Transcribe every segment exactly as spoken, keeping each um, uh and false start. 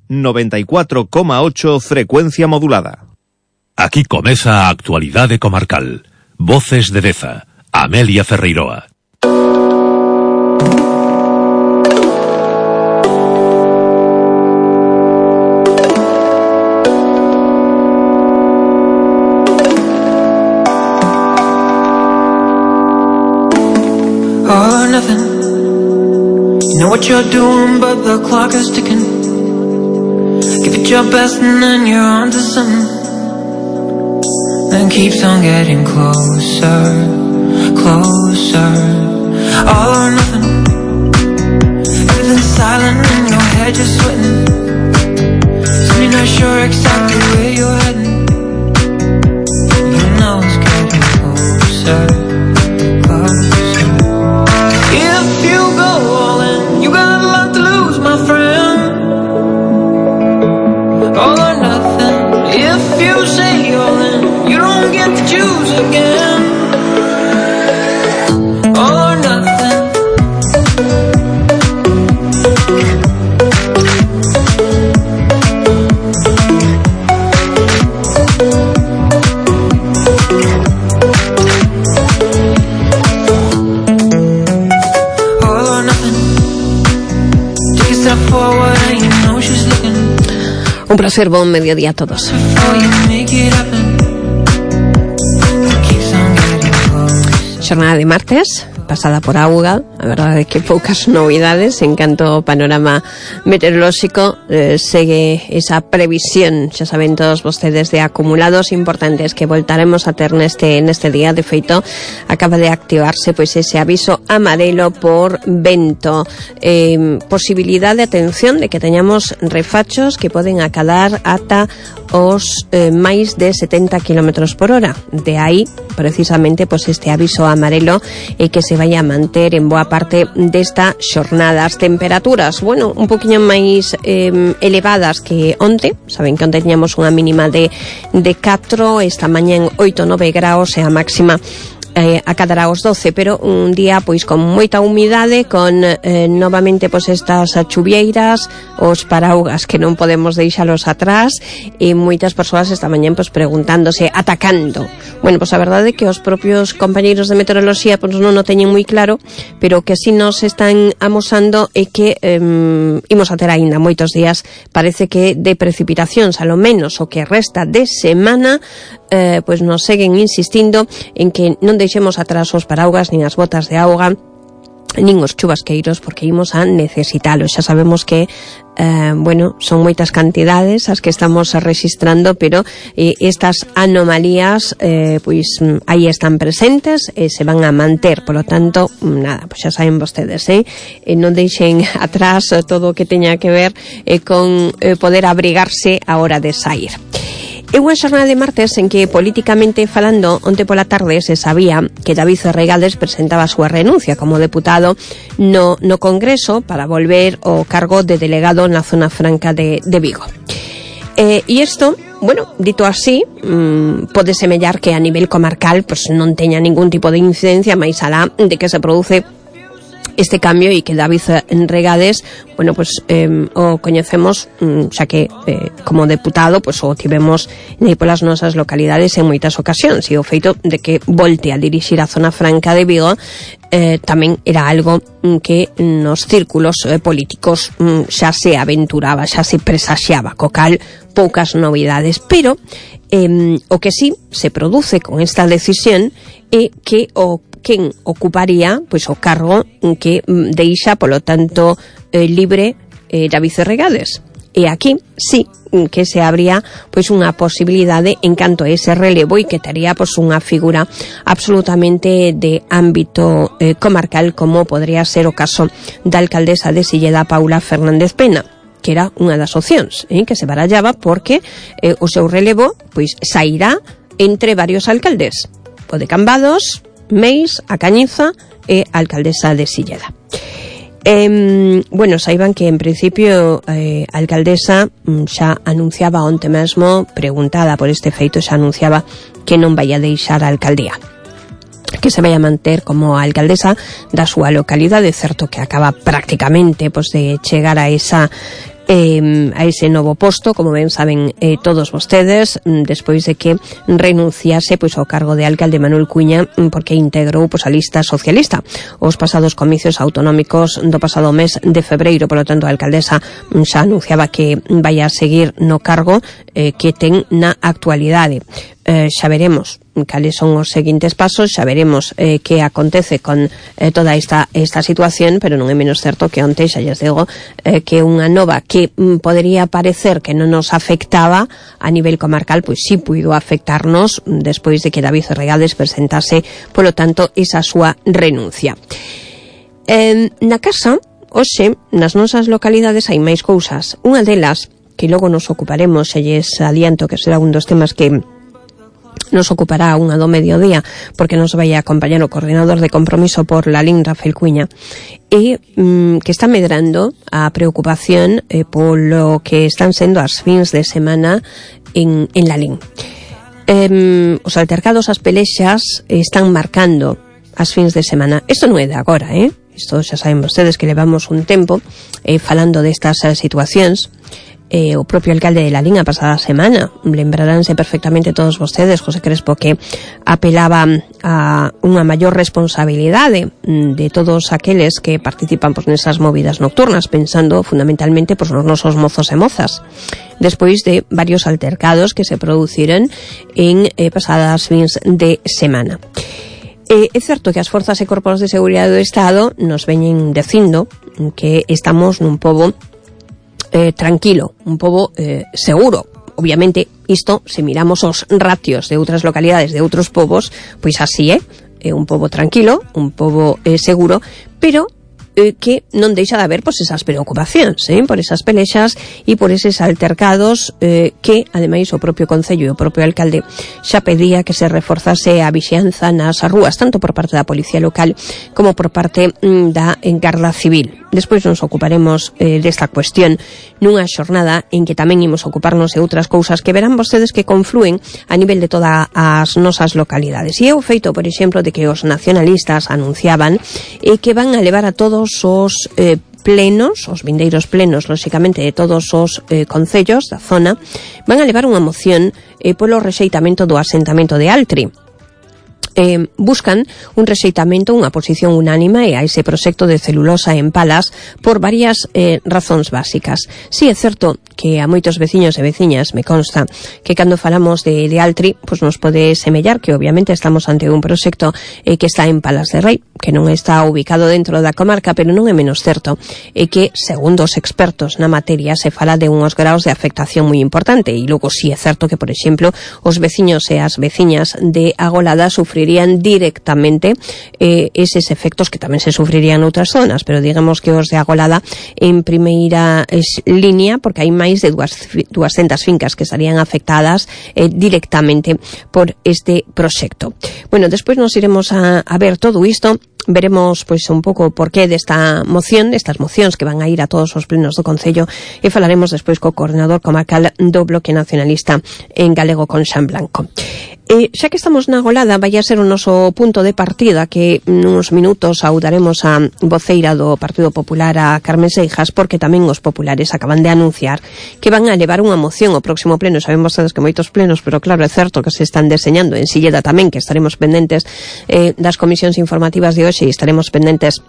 noventa y cuatro coma ocho frecuencia modulada. Aquí comeza a actualidade comarcal. Voces de Deza, Amelia Ferreiroa. All or nothing. You know what you're doing, but the clock is ticking. Give it your best and then you're on to something. Then keeps on getting closer, closer. All or nothing. Everything's silent in your head, you're sweating. So you're not sure exactly where you're heading. You know it's getting closer, closer. If you go all in, you got a lot to lose, my friend. All or nothing. If you say all in, you don't get to choose again. All or nothing. All or nothing. Take a step forward and you know she's looking. Un placer, buen mediodía a todos. Xornada de martes, pasada por auga, a verdade é que poucas novidades en canto ao panorama meteorolóxico. Eh, segue esa previsión, xa saben todos vostedes, de acumulados importantes que voltaremos a ter neste neste día. De feito, acaba de activarse pois ese aviso amarelo por vento, eh, posibilidade, atención, de que teñamos refachos que poden acadar ata os eh, máis de setenta kilómetros por hora. De aí, precisamente, pois este aviso amarelo e que se vai a manter en boa parte desta xornada. As temperaturas, bueno, un poquinho máis eh, elevadas que onte. Saben que onte teñamos unha mínima de, de catro, esta mañá en oito, nove graus e a máxima eh, acadará os doce, pero un día pois con moita humidade, con eh, novamente pois estas chuvieiras, os paraugas que non podemos deixalos atrás, e moitas persoas esta mañá pois preguntándose, atacando. Bueno, pois a verdade é que os propios compañeiros de meteoroloxía pois non o teñen moi claro, pero que si nos están amosando é que eh, imos a ter aínda moitos días, parece que de precipitacións, a lo menos o que resta de semana. Eh, pois nos seguen insistindo en que non deixemos atrás os paraugas nin as botas de auga nin os chubasqueiros, porque imos a necesitalos. Xa sabemos que eh, bueno, son moitas cantidades as que estamos registrando, pero eh, estas anomalías eh, pois aí están presentes e se van a manter. Por lo tanto, nada, pois xa saben vostedes, eh? eh non deixen atrás todo o que teña que ver eh, con eh, poder abrigarse a hora de sair. É unha xornada de martes en que, políticamente falando, onte pola tarde se sabía que David Reigades presentaba a súa renuncia como deputado no, no Congreso para volver ao cargo de delegado na Zona Franca de, de Vigo. Eh, e isto, bueno, dito así, mmm, pode semellar que a nivel comarcal pues, non teña ningún tipo de incidencia, máis alá de que se produce este cambio e que David Reigades, bueno, pues eh, o coñecemos, xa que eh, como deputado, pues o tivemos nei polas nosas localidades en moitas ocasións, e o feito de que volte a dirixir a Zona Franca de Vigo eh, tamén era algo que nos círculos eh, políticos mm, xa se aventuraba, xa se presaxiaba, co cal poucas novidades, pero eh, o que sí se produce con esta decisión é que o quen ocuparía pois o cargo que deixa, polo tanto, eh, libre eh, David Reigades. E aquí sí que se abría pois unha posibilidade en canto a ese relevo, e que tería pois unha figura absolutamente de ámbito eh, comarcal, como podría ser o caso da alcaldesa de Silleda, Paula Fernández Pena, que era unha das opcións eh, que se barallaba, porque eh, o seu relevo pois sairá entre varios alcaldes, o de Cambados, Meis, a Cañiza e a alcaldesa de Silleda. Eh, bueno, saiban que en principio eh, a alcaldesa xa anunciaba onte mesmo, preguntada por este feito, xa anunciaba que non vai a deixar a alcaldía, que se vai a manter como a alcaldesa da súa localidade. Certo que acaba prácticamente pois, de chegar a esa eh, a ese novo posto, como ben saben eh, todos vostedes, despois de que renunciase pois ao cargo de alcalde Manuel Cuña, porque integrou pois a lista socialista os pasados comicios autonómicos do pasado mes de febreiro. Por lo tanto, a alcaldesa xa anunciaba que vai a seguir no cargo eh, que ten na actualidade. Eh, xa veremos cales son os seguintes pasos, xa veremos eh, que acontece con eh, toda esta esta situación, pero non é menos certo que onte xa lles digo eh, que unha nova que mm, podería parecer que non nos afectaba a nivel comarcal, pois sí puido afectarnos despois de que David Regades presentase, polo tanto, esa súa renuncia. Eh, na casa, hoxe, nas nosas localidades hai máis cousas. Unha delas, que logo nos ocuparemos, xa lles adianto que será un dos temas que nos ocupará unha do mediodía, porque nos vai a acompañar o coordinador de compromiso por Lalín, Rafael Cuña, e mm, que está medrando a preocupación eh, polo que están sendo as fins de semana en, en Lalín. Eh, os altercados, as pelexas están marcando as fins de semana. Isto non é de agora, eh? Isto xa saben vostedes que levamos un tempo eh, falando destas eh, situacións. Eh, o propio alcalde de Lalín a pasada semana, lembraránse perfectamente todos vostedes, José Crespo, que apelaba a unha maior responsabilidade de todos aqueles que participan pois, nesas movidas nocturnas, pensando fundamentalmente pois, nos nosos mozos e mozas, despois de varios altercados que se produciron en eh, pasadas fins de semana. Eh, é certo que as forzas e corpos de seguridade do Estado nos veñen dicindo que estamos nun pobo Eh, tranquilo, un pobo eh, seguro. Obviamente, isto, se miramos os ratios de outras localidades, de outros povos, pois así é, é un pobo tranquilo, un pobo eh, seguro, pero eh, que non deixa de haber pois, esas preocupacións, eh, por esas pelexas e por eses altercados eh, que, ademais, o propio Concello e o propio alcalde xa pedía que se reforzase a vixianza nas rúas, tanto por parte da Policía Local como por parte mm, da Garda Civil. Despois nos ocuparemos eh, desta cuestión nunha xornada en que tamén imos ocuparnos de outras cousas que verán vostedes que confluen a nivel de todas as nosas localidades. E é o feito, por exemplo, de que os nacionalistas anunciaban eh, que van a levar a todos os eh, plenos, os vindeiros plenos, lóxicamente, de todos os eh, concellos da zona, van a levar unha moción eh, polo rexeitamento do asentamento de Altri. Eh, buscan un rexeitamento, unha posición unánime a ese proxecto de celulosa en Palas por varias eh, razóns básicas. Si é certo que a moitos veciños e veciñas me consta que cando falamos de, de Altri, pues nos pode semellar que obviamente estamos ante un proxecto eh, que está en Palas de Rei, que non está ubicado dentro da comarca, pero non é menos certo e que, segundo os expertos na materia, se fala de unhos graus de afectación moi importante. E logo si é certo que, por exemplo, os veciños e as veciñas de Agolada sufrirían directamente eh, eses efectos que tamén se sufrirían noutras zonas, pero digamos que os de Agolada en primeira es, línea, porque hai máis de duascentas fincas que estarían afectadas eh, directamente por este proxecto. Bueno, despois nos iremos a, a ver todo isto. Veremos pois un pouco por qué desta moción, destas mocións que van a ir a todos os plenos do Concello, e falaremos despois co coordinador comarcal do Bloque Nacionalista en galego, con Xan Blanco. E xa que estamos na Agolada, vai a ser o noso punto de partida, que nuns minutos saudaremos a voceira do Partido Popular, a Carmen Seijas, porque tamén os populares acaban de anunciar que van a levar unha moción ao próximo pleno. Sabemos todos que moitos plenos, pero claro, é certo que se están deseñando en Silleda tamén, que estaremos pendentes eh, das comisións informativas de hoxe e estaremos pendentes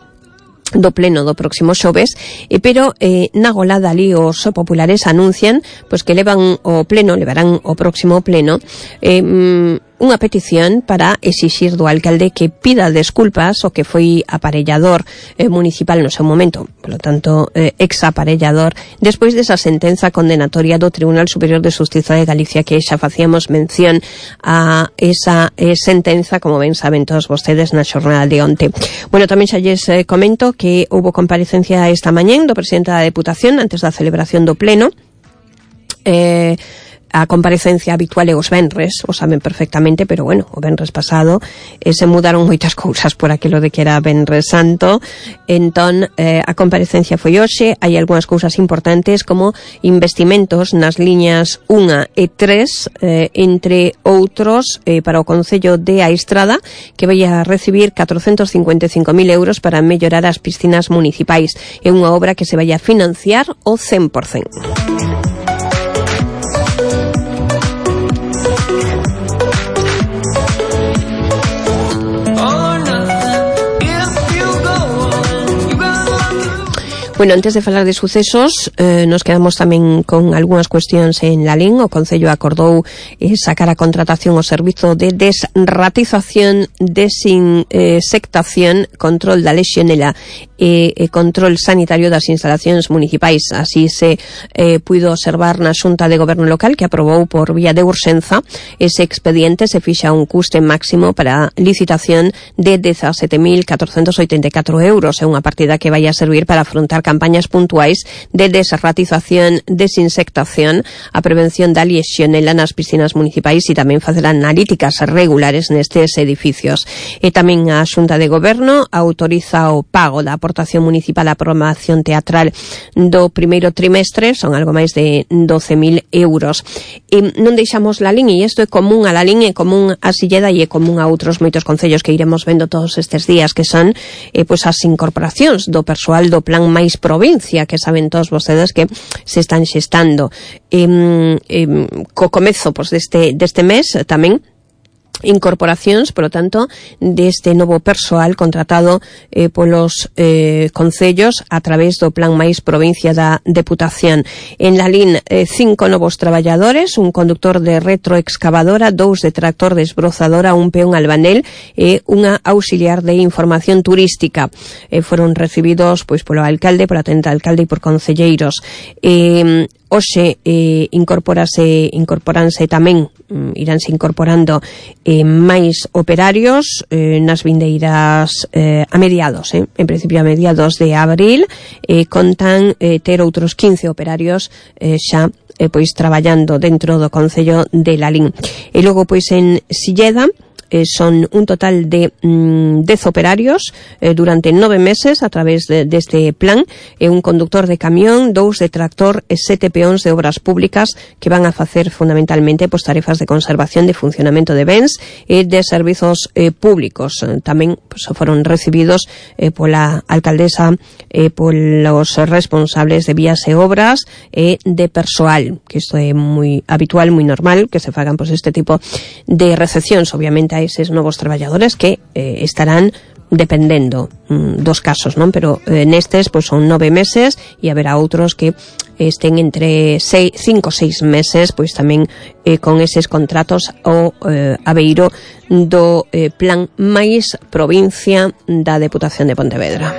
do pleno do próximo xoves, e pero eh, na Agolada ali os populares anuncian pois que levan o pleno, levarán o próximo pleno eh, unha petición para exixir do alcalde que pida desculpas o que foi aparellador eh, municipal no seu momento, polo tanto eh, ex-aparellador, despois desa sentenza condenatoria do Tribunal Superior de Xustiza de Galicia, que xa facíamos mención a esa eh, sentenza, como ben saben todos vostedes, na xornada de onte. Bueno, tamén xa lles eh, comento que houve comparecencia esta mañén do presidente da Deputación antes da celebración do pleno. Eh, a comparecencia habitual é os venres, o saben perfectamente, pero bueno, o venres pasado eh, se mudaron moitas cousas por aquilo de que era Venres Santo, entón eh, a comparecencia foi hoxe, hai algunhas cousas importantes como investimentos nas liñas unha e tres, eh, entre outros eh, para o Concello de A Estrada, que vai a recibir catrocentos cincuenta e cinco mil euros para mellorar as piscinas municipais. É unha obra que se vai a financiar o cen por cento. Bueno, antes de falar de sucesos, eh, nos quedamos tamén con algunhas cuestións en Lalín. O Concello acordou eh, sacar a contratación o servizo de desratización, desinsectación, control da lexionela e, e control sanitario das instalacións municipais. Así se eh, puido observar na Xunta de Goberno Local, que aprobou por vía de urxenza ese expediente. Se fixa un custe máximo para licitación de dezasete mil catrocentos oitenta e catro euros. É unha partida que vai a servir para afrontar campañas puntuais de desratización, desinsectación, a prevención da lexionela nas piscinas municipais e tamén facer analíticas regulares nestes edificios. E tamén a Xunta de Goberno autoriza o pago da aportación municipal á programación teatral do primeiro trimestre, son algo máis de doce mil euros. E non deixamos Lalín, e isto é común a Lalín, é común a Silleda e é común a outros moitos concellos que iremos vendo todos estes días, que son eh, pois as incorporacións do persoal do Plan Máis Provincia, que saben todos vostedes que se están xestando. Eh, eh, co comezo pois, deste, deste mes tamén incorporacións, por lo tanto, deste novo persoal contratado eh, polos eh, concellos a través do Plan Máis Provincia da Deputación. En Lalín, eh, cinco novos traballadores, un conductor de retroexcavadora, dous de tractor desbrozadora, un peón albanel e unha auxiliar de información turística. Eh, foron recibidos pois polo alcalde, pola tenda alcalde e por concelleiros. Eh, Hoxe eh, incorporase, incorporanse tamén, mm, iránse incorporando eh, máis operarios eh, nas vindeiras eh, a mediados, eh, en principio a mediados de abril, eh, contan eh, ter outros quince operarios eh, xa eh, pois traballando dentro do Concello de Lalín. E logo pois en Silleda, Eh, son un total de mm, dez operarios eh, durante nove meses a través de, deste plan, e eh, un conductor de camión, dous de tractor e sete peóns de obras públicas que van a facer fundamentalmente pues, tarefas de conservación, de funcionamento de bens e de servizos eh, públicos. Eh, tamén pues, foron recibidos eh, pola alcaldesa, eh, polos responsables de vías e obras e de persoal, que isto é moi habitual, moi normal, que se fagan pues, este tipo de recepcións, obviamente a eses novos traballadores que eh, estarán dependendo mm, dos casos, non? Pero eh, nestes pois son nove meses e haberá outros que estén entre seis, cinco ou seis meses, pois tamén eh, con eses contratos o eh, abeiro do eh, Plan Máis Provincia da Deputación de Pontevedra.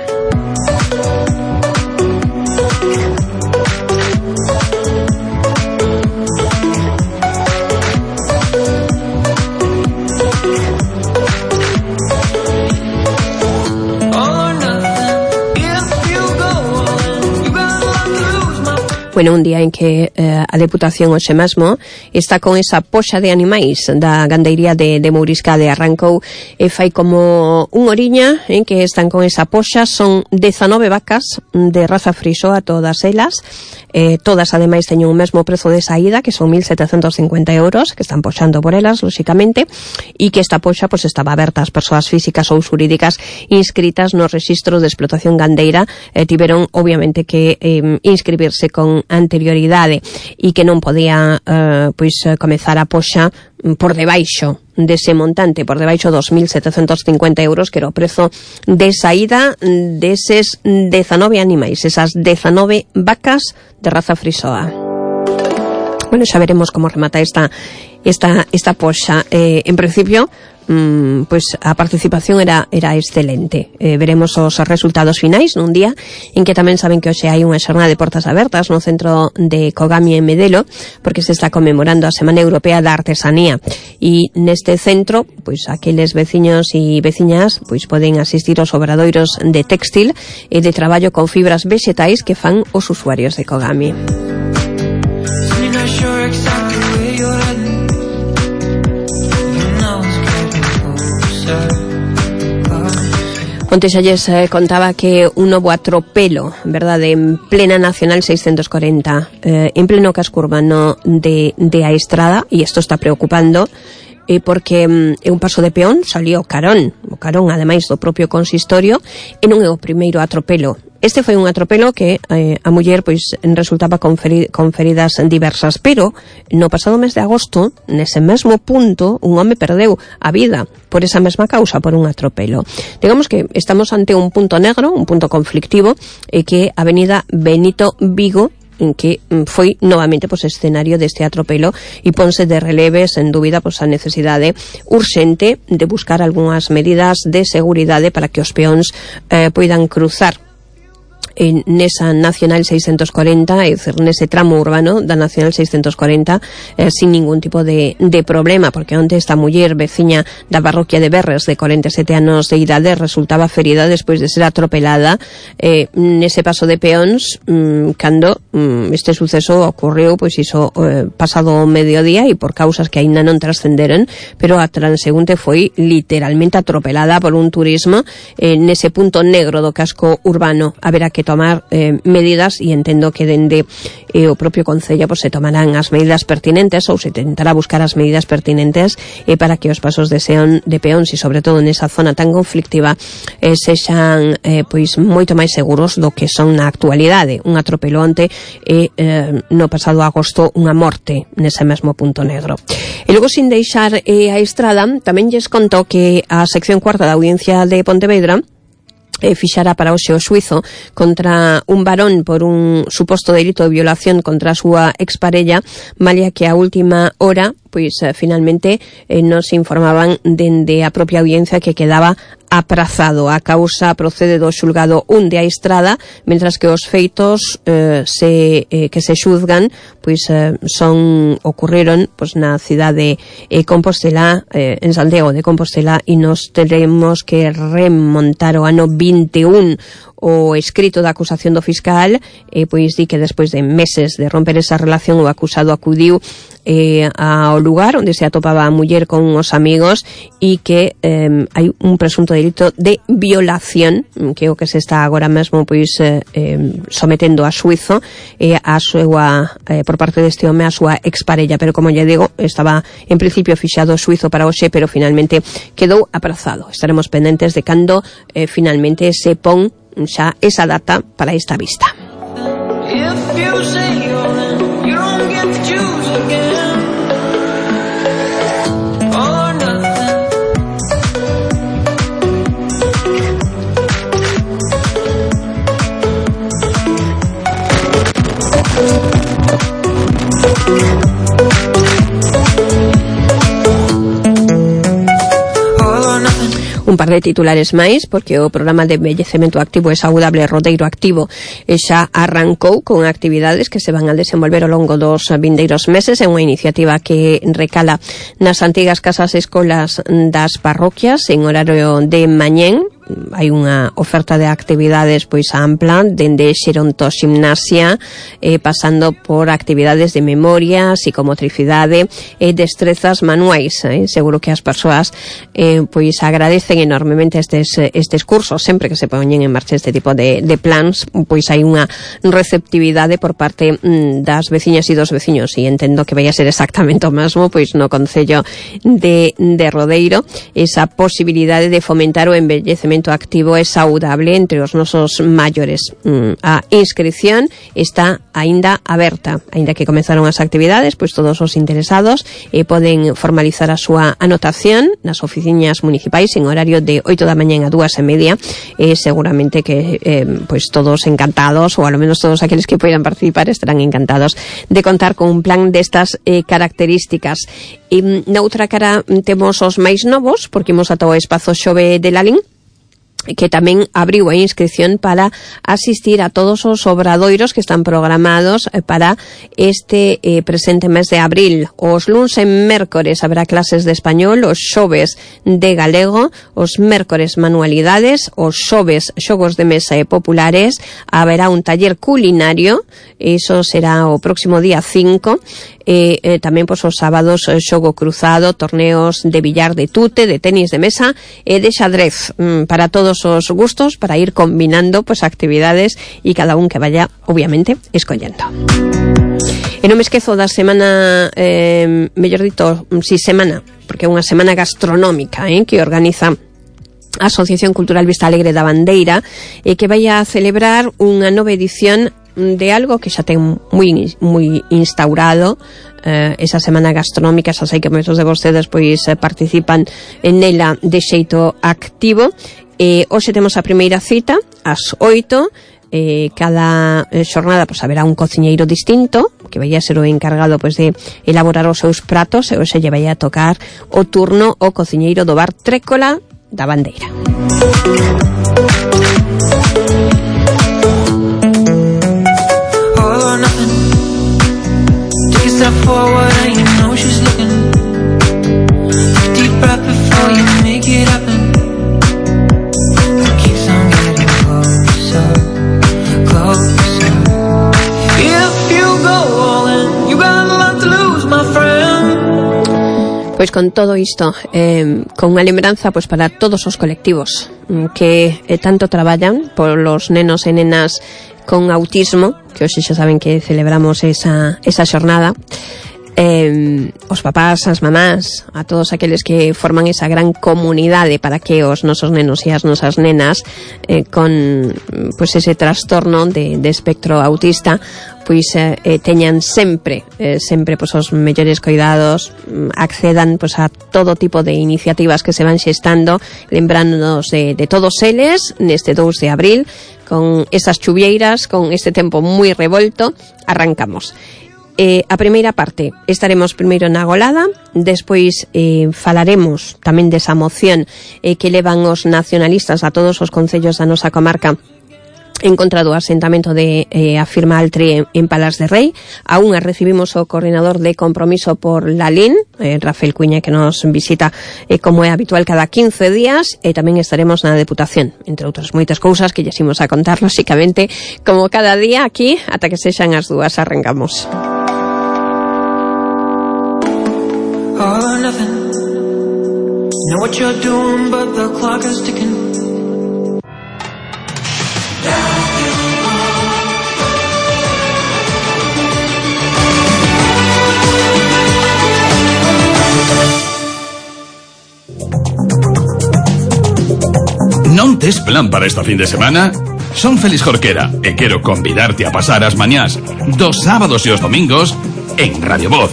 Bueno, un día en que eh, a Deputación hoxe mesmo está con esa poxa de animais da gandeiría de, de Mourisca de Arrancou e fai como un oriña en que están con esa poxa. Son dezanove vacas de raza frisoa, todas elas, eh, todas ademais teñen un mesmo prezo de saída, que son mil setecentos cincuenta euros, que están poxando por elas, lóxicamente, e que esta poxa pues, estaba aberta ás persoas físicas ou xurídicas inscritas no Rexistro de Explotación Gandeira. Eh, tiveron, obviamente, que eh, inscribirse con anterioridade e que non podía eh, pois comezar a poxa por debaixo dese montante, por debaixo dos mil setecentos cincuenta euros, que era o prezo de saída deses dezanove animais, esas dezanove vacas de raza frisoa. Bueno, xa veremos como remata esta esta esta poxa. Eh, en principio Mm, pues a participación era era excelente. Eh, veremos os resultados finais nun día en que tamén saben que hoxe hai unha xornada de portas abertas no centro de Cogami en Medelo, porque se está conmemorando a Semana Europea da Artesanía, e neste centro, pois aqueles veciños e veciñas pois poden asistir aos obradoiros de textil e de traballo con fibras vexetais que fan os usuarios de Cogami. you're heading. You know it's getting closer. Onte xa lles eh, contaba que un novo atropelo, verdade, en plena Nacional seiscentos cuarenta, eh, en pleno casco urbano de, de a Estrada, e isto está preocupando, eh, porque mm, é un paso de peón, salió carón, o carón ademais do propio consistorio, e non é o primeiro atropelo. Este foi un atropelo que eh, a muller pois resultaba con, feri con feridas diversas, pero no pasado mes de agosto, nese mesmo punto, un home perdeu a vida por esa mesma causa, por un atropelo. Digamos que estamos ante un punto negro, un punto conflictivo, eh, que a avenida Benito Vigo, en que foi novamente pois, escenario deste atropelo e ponse de releves en dúbida pois, a necesidade urxente de buscar algunhas medidas de seguridade para que os peóns eh, poidan cruzar en nesa Nacional seiscentos cuarenta, é dicir, nese tramo urbano da Nacional seiscentos cuarenta eh, sin ningún tipo de, de problema, porque onte esta muller veciña da parroquia de Berres de cuarenta e sete anos de idade resultaba ferida despois de ser atropelada eh, nese paso de peóns mm, cando mm, este suceso ocorreu pois iso eh, pasado o mediodía e por causas que aínda non trascenderon, pero a transeúnte foi literalmente atropelada por un turismo eh, nese punto negro do casco urbano. Haberá que tomar eh, medidas e entendo que dende eh, o propio Concello pues, se tomarán as medidas pertinentes ou se tentará buscar as medidas pertinentes eh, para que os pasos de, seón, de peóns e sobre todo nesa zona tan conflictiva eh, sexan eh, pois moito máis seguros do que son na actualidade. Un atropelo onte e eh, no pasado agosto unha morte nese mesmo punto negro. E logo, sin deixar eh, a Estrada, tamén lles conto que a sección cuarta da Audiencia de Pontevedra E fixara para hoxe o xuizo contra un varón por un suposto delito de violación contra a súa exparella, malia que a última hora pois eh, finalmente eh, nos informaban dende a propia audiencia que quedaba aprazado. A causa procede do xulgado un de a Estrada, mentras que os feitos eh, se, eh, que se xuzgan pois eh, son ocurreron pois na cidade de eh, Compostela, eh, en Santiago de Compostela, e nos teremos que remontar o ano vinte e un. O escrito da acusación do fiscal eh, pois di que despois de meses de romper esa relación o acusado acudiu eh, ao lugar onde se atopaba a muller con os amigos e que eh, hai un presunto delito de violación, que é o que se está agora mesmo pois eh, eh, sometendo a xuizo eh, a súa, eh, por parte deste home a súa exparella, pero como lle digo, estaba en principio fixado o xuizo para hoxe, pero finalmente quedou aprazado. Estaremos pendentes de cando eh, finalmente se pon xa esa data para esta vista. Un par de titulares máis, porque o programa de envellecemento activo e saudable Rodeiro Activo xa arrancou con actividades que se van a desenvolver ao longo dos vindeiros meses. É unha iniciativa que recala nas antigas casas e escolas das parroquias en horario de mañén. Hai unha oferta de actividades pois ampla, dende xerontoximnasia, eh, pasando por actividades de memoria, psicomotricidade e destrezas manuais. Eh. Seguro que as persoas eh, pois agradecen enormemente estes, estes cursos. Sempre que se poñen en marcha este tipo de, de plans, pois hai unha receptividade por parte mm, das veciñas e dos veciños, e entendo que vai a ser exactamente o mesmo pois no Concello de, de Rodeiro, esa posibilidade de fomentar o envellecemento activo e saudable entre os nosos maiores. A inscripción está aínda aberta, aínda que comenzaron as actividades, pois todos os interesados eh, poden formalizar a súa anotación nas oficinas municipais en horario de oito da mañá a dúas e media, e eh, seguramente que eh, pois todos encantados, ou ao menos todos aqueles que poidan participar estarán encantados de contar con un plan destas eh, características. E na outra cara temos os máis novos, porque imos ata o espazo Xove de Lalín, que tamén abriu a inscripción para asistir a todos os obradoiros que están programados para este eh, presente mes de abril. Os luns e mércores haberá clases de español, os xoves de galego, os mércores manualidades, os xoves xogos de mesa e populares, haberá un taller culinario, iso será o próximo día cinco, e eh, tamén pois, os sábados xogo cruzado, torneos de billar, de tute, de tenis de mesa e de xadrez, mm, para todos os gustos, para ir combinando pues actividades e cada un que vaya obviamente escollendo. E non me esquezo da semana, eh, mellor dito, si semana, porque é unha semana gastronómica, eh, que organiza a Asociación Cultural Vista Alegre da Bandeira, e que vai a celebrar unha nova edición de algo que xa ten moi moi instaurado, eh, esa semana gastronómica. Xa sei que moitos de vostedes pois eh, participan en ela de xeito activo. E hoxe temos a primeira cita ás oito. Eh, cada eh, xornada pois haberá un cociñeiro distinto que vai a ser o encargado pois de elaborar os seus pratos, e hoxe lle vai a tocar o turno o cociñeiro do bar Trécola da Bandeira. Step forward and you know she's looking. Deep breath before you make it happen. It keeps on getting closer, closer. If you go all in, you got a lot to lose, my friend. Pois con todo isto, eh, con unha lembranza pois para todos os colectivos que eh, tanto traballan por los nenos e nenas con autismo, que hoxe xa saben que celebramos esa, esa xornada, eh, os papás, as mamás, a todos aqueles que forman esa gran comunidade para que os nosos nenos e as nosas nenas eh, con pues, ese trastorno de, de espectro autista pois eh, teñan sempre eh, sempre pois, os mellores cuidados, accedan pois, a todo tipo de iniciativas que se van xestando, lembrándonos de, de todos eles neste dous de abril, con esas chuvieiras, con este tempo moi revolto. Arrancamos. Eh, a primeira parte estaremos primeiro na Golada, despois eh, falaremos tamén desa moción eh, que levan os nacionalistas a todos os concellos da nosa comarca en contra do asentamento de eh, a firma Altri en, en Palas de Rei. A unha recibimos o coordinador de compromiso por Lalín, eh, Rafael Cuña, que nos visita eh, como é habitual cada quince días, e tamén estaremos na Deputación, entre outras moitas cousas que lles imos a contar, lóxicamente, como cada día aquí, ata que sexan as dúas. Arrancamos. All or nothing. Know what you're doing, but the clock is ticking. Non tes plan para esta fin de semana? Son Félix Jorquera e quero convidarte a pasar as mañás dos sábados e os domingos en Radio Voz,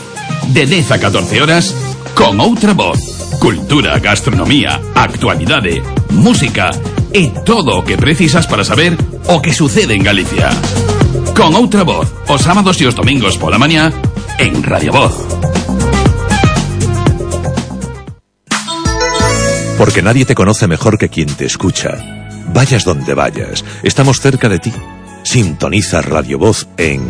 de dez a catorce horas, con outra voz. Cultura, gastronomía, actualidade, música e todo o que precisas para saber o que sucede en Galicia. Con outra voz, os sábados e os domingos pola mañá en Radio Voz. Porque nadie te conoce mejor que quien te escucha. Vayas donde vayas, estamos cerca de ti. Sintoniza Radio Voz en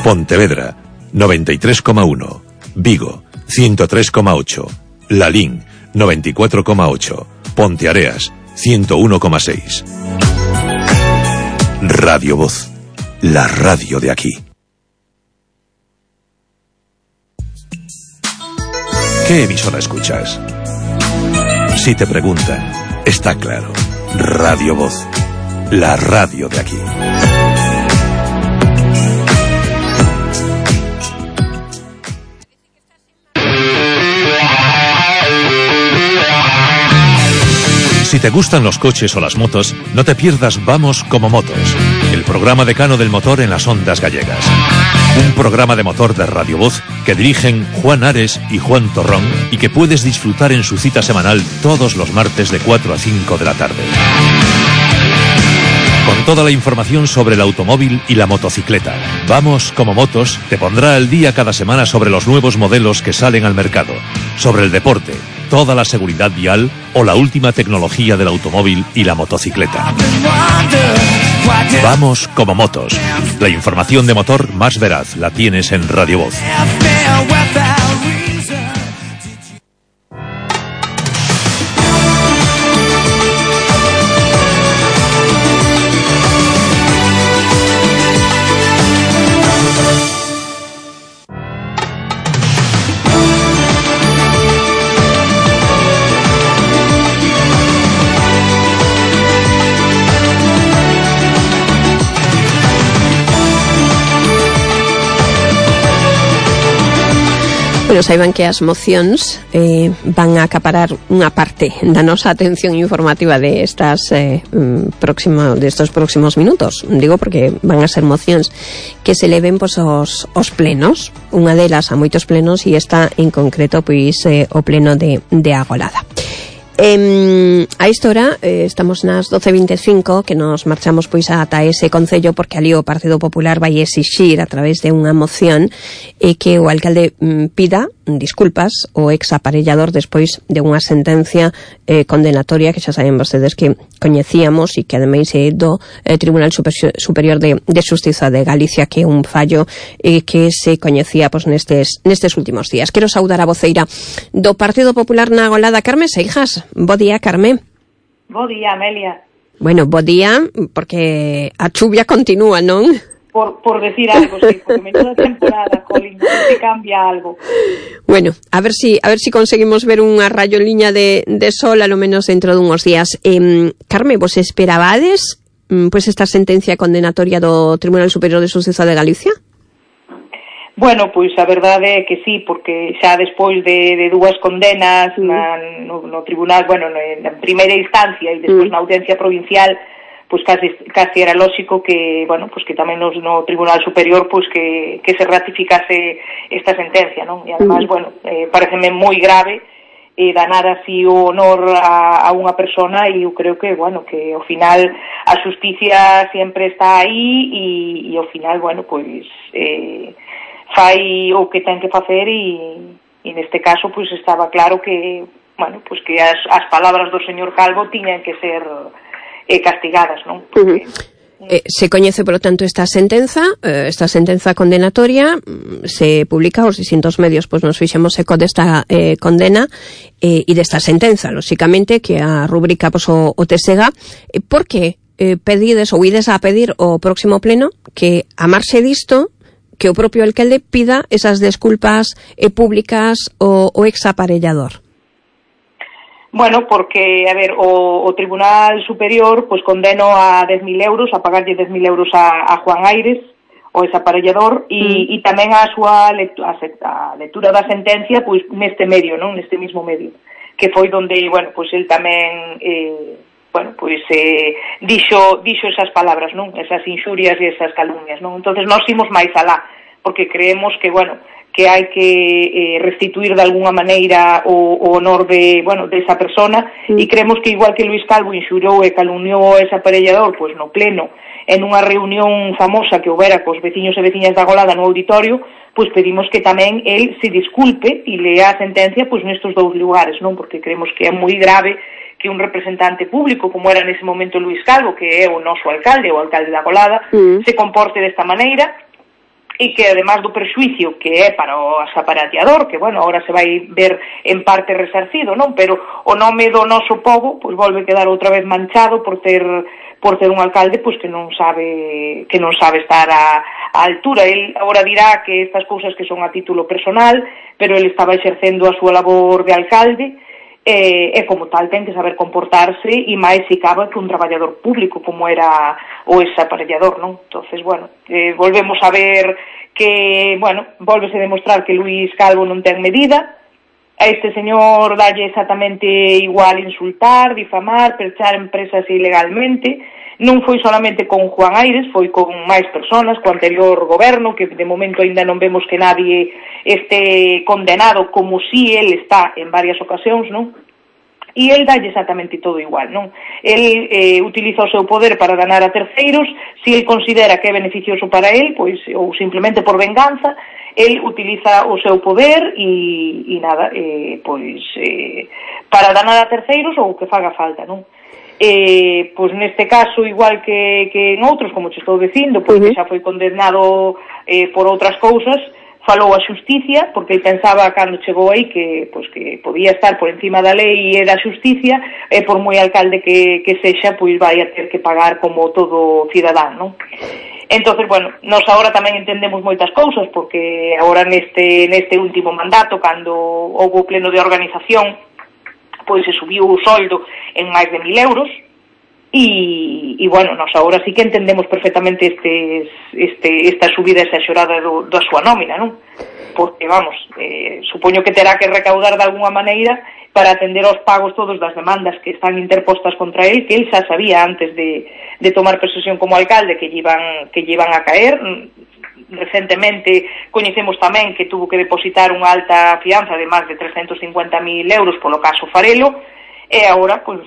Pontevedra, noventa y tres coma uno, Vigo, ciento tres coma ocho, Lalín, noventa y cuatro coma ocho, Ponteareas, ciento uno coma seis. Radio Voz, la radio de aquí. ¿Qué emisora escuchas? Si te preguntan, está claro. Radio Voz, la radio de aquí. Si te gustan los coches o las motos, no te pierdas Vamos como Motos, el programa decano del motor en las ondas gallegas. Un programa de motor de Radio Voz que dirigen Juan Ares y Juan Torrón y que puedes disfrutar en su cita semanal todos los martes de cuatro a cinco de la tarde. Con toda la información sobre el automóvil y la motocicleta. Vamos como motos te pondrá al día cada semana sobre los nuevos modelos que salen al mercado, sobre el deporte, toda la seguridad vial o la última tecnología del automóvil y la motocicleta. Vamos como motos. La información de motor más veraz la tienes en Radio Voz. Bueno, saiban que as mocións eh, van a acaparar unha parte da nosa atención informativa de estas eh, próximo, de estos próximos minutos. Digo porque van a ser mocións que se leven pois, os, os plenos, unha delas a moitos plenos e esta en concreto pois eh, o pleno de, de Agolada. Eh, a esta hora eh, estamos nas doce e vinte e cinco que nos marchamos pois ata ese concello porque ali o Partido Popular vai exixir a través de unha moción eh, que o alcalde mm, pida disculpas ao ex aparellador despois de unha sentencia eh, condenatoria que xa saben vostedes que coñecíamos e que ademais é do eh, Tribunal Superior de, de Xustiza de Galicia, que é un fallo eh, que se coñecía pois, nestes, nestes últimos días. Quero saudar a voceira do Partido Popular na Agolada, Carme Seijas. Bo día, Carme. Bo día, Amelia. Bueno, bo día, porque a chuvia continúa, non? Por, por decir algo, sí, porque menuda temporada, Colin, no sé si cambia algo. Bueno, a ver si a ver si conseguimos ver unha rayoliña de, de sol a lo menos dentro dunhos días. Eh, Carme, vos esperabades pois esta sentencia condenatoria do Tribunal Superior de Xustiza de Galicia? Bueno, pois a verdade é que sí, porque xa despois de, de dúas condenas mm. na, no, no tribunal, bueno, na primeira instancia e despois mm. na audiencia provincial, pois casi, casi era lógico que, bueno, pois que tamén no, no Tribunal Superior pois que, que se ratificase esta sentencia, non? E además, mm. bueno, eh, pareceme moi grave eh, danar así o honor a, a unha persona, e eu creo que, bueno, que ao final a xusticia sempre está aí e, e ao final, bueno, pois eh, fai o que ten que facer e, e neste caso pois estaba claro que, bueno, pois que as, as palabras do señor Calvo tiñan que ser eh, castigadas, non? Porque, uh-huh. eh, se coñece, por lo tanto, esta sentenza, eh, esta sentenza condenatoria, se publica aos distintos medios, pois nos fixemos eco desta eh, condena eh, e desta sentenza, lóxicamente, que a rubrica pois, o, o T S G. Eh, por que eh, pedides ou ides a pedir o próximo pleno que, a marxe disto, que o propio alcalde pida esas desculpas eh, públicas o, o ex aparellador? Bueno, porque, a ver, o, o Tribunal Superior pues condeno a dez mil euros, a pagarlle dez mil euros a, a Juan Aires, o ese aparellador, e, mm. e tamén a súa lectura, a lectura da sentencia pois neste medio, non, neste mismo medio, que foi donde, bueno, pois el tamén eh, bueno, pois eh, dixo, dixo esas palabras, non, esas inxurias e esas calumnias, non. Entonces nós imos máis alá, porque creemos que, bueno, que hai que eh, restituir de alguna maneira o, o honor de, bueno, de esa persona, mm. e creemos que igual que Luís Calvo inxurou e calumniou ese aparellador, pois no pleno, en unha reunión famosa que houbera cos veciños e veciñas da Agolada no auditorio, pois pedimos que tamén el se disculpe e lea a sentencia pois nestes dous lugares, non, porque creemos que é moi grave que un representante público, como era nese momento Luís Calvo, que é o noso alcalde, o alcalde da Agolada, mm. se comporte desta maneira, e que además do perxuicio que é para o aparellador, que, bueno, ahora se vai ver en parte resarcido, non? Pero o nome do noso pobo, pois volve quedar outra vez manchado por ter por ter un alcalde pois que non sabe que non sabe estar a, a altura. El agora dirá que estas cousas que son a título personal, pero el estaba exercendo a súa labor de alcalde, e, e como tal ten que saber comportarse, e máis se cabe que un traballador público como era o ese aparellador, non? Entonces, bueno, eh, volvemos a ver que, bueno, volvese a demostrar que Luís Calvo non ten medida. A este señor dalle exactamente igual insultar, difamar, perchar empresas ilegalmente. Non foi solamente con Juan Aires, foi con máis personas, co anterior goberno, que de momento ainda non vemos que nadie este condenado, como si él está en varias ocasións, non? e el dalle exactamente todo igual, non? El eh, utiliza o seu poder para ganar a terceiros, se el considera que é beneficioso para el, pois, ou simplemente por venganza, el utiliza o seu poder e, e nada, eh, pois, eh, para ganar a terceiros ou que faga falta, non? Eh, pois neste caso, igual que, que en outros, como te estou dicindo, pois que xa foi condenado eh, por outras cousas, falou a xusticia, porque ele pensaba cando chegou aí que, pois, que podía estar por encima da lei e da xusticia, e por moi alcalde que, que sexa, pois vai a ter que pagar como todo cidadán, non? Entonces, bueno, nós agora tamén entendemos moitas cousas, porque agora neste, neste último mandato, cando houve o pleno de organización, pois se subiu o soldo en máis de mil euros, E, e bueno, nós agora sí que entendemos perfectamente estes, este, esta subida exagerada do, da súa nómina, non? Porque, vamos, eh, supoño que terá que recaudar de alguna maneira para atender aos pagos todos das demandas que están interpostas contra él, que él xa sabía antes de, de tomar posesión como alcalde que llevan, que llevan a caer. Recentemente coñecemos tamén que tuvo que depositar unha alta fianza de máis de trescentos cincuenta mil euros polo caso Farelo, e agora, pois,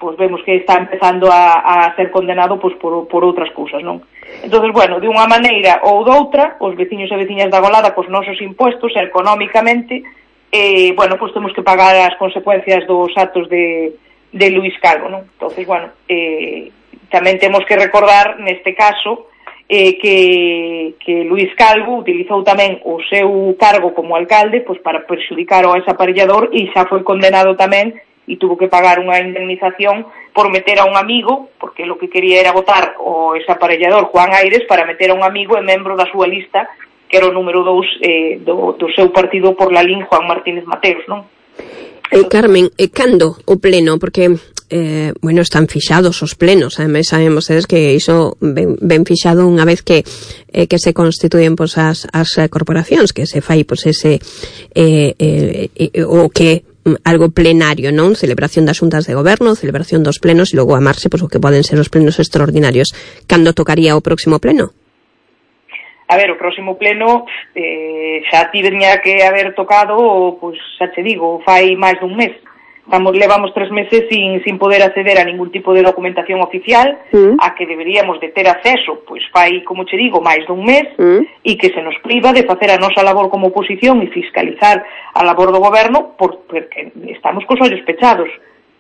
pues vemos que está empezando a, a ser condenado pues, por, por outras cousas, non? Entonces, bueno, de unha maneira ou doutra, os veciños e veciñas da Golada, cos nosos impuestos, económicamente, eh, bueno, pues temos que pagar as consecuencias dos actos de, de Luís Calvo, non? Entonces, bueno, eh, tamén temos que recordar, neste caso, eh, que, que Luís Calvo utilizou tamén o seu cargo como alcalde pues, para perxudicar ao desaparellador e xa foi condenado tamén e tuvo que pagar unha indemnización por meter a un amigo, porque lo que quería era votar o ese aparellador Juan Aires para meter a un amigo e membro da súa lista, que era o número dous eh, do, do seu partido por la lin Juan Martínez Mateos, non? Eh, Carmen, eh, cando o pleno? Porque, eh, bueno, están fixados os plenos, ademais saben vostedes que iso ben, ben fixado unha vez que eh, que se constituyen pues, as, as corporacións, que se fai pues, ese eh, eh, eh, o que algo plenario, non? Celebración das xuntas de goberno, celebración dos plenos e logo amarse pois, o que poden ser os plenos extraordinarios. Cando tocaría o próximo pleno? A ver, o próximo pleno eh, xa tivería que haber tocado, pois xa te digo, fai máis dun mes. Estamos, levamos tres meses sin, sin poder acceder a ningún tipo de documentación oficial, mm. a que deberíamos de ter acceso, pois fai, como che digo, máis dun mes, mm. e que se nos priva de facer a nosa labor como oposición e fiscalizar a labor do goberno, por, porque estamos cos ollos pechados,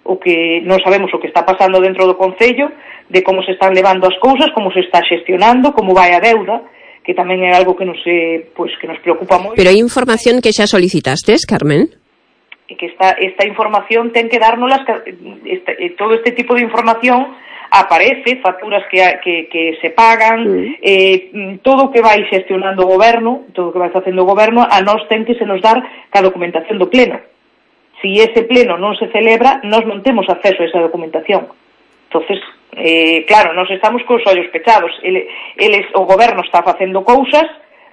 o que non sabemos o que está pasando dentro do Concello, de como se están levando as cousas, como se está xestionando, como vai a deuda, que tamén é algo que nos, eh, pois, que nos preocupa moito. Pero hai información que xa solicitastes, Carmen? Que esta, esta información ten que dárnoslas, esta, todo este tipo de información aparece, facturas que, que, que se pagan, mm. eh, todo o que vai xestionando o goberno, todo o que vai facendo o goberno, a nós ten que se nos dar ca documentación do pleno. Si ese pleno non se celebra, nós non temos acceso a esa documentación. Entonces, eh, claro, nós estamos cos ollos pechados. Ele, eles, o goberno está facendo cousas,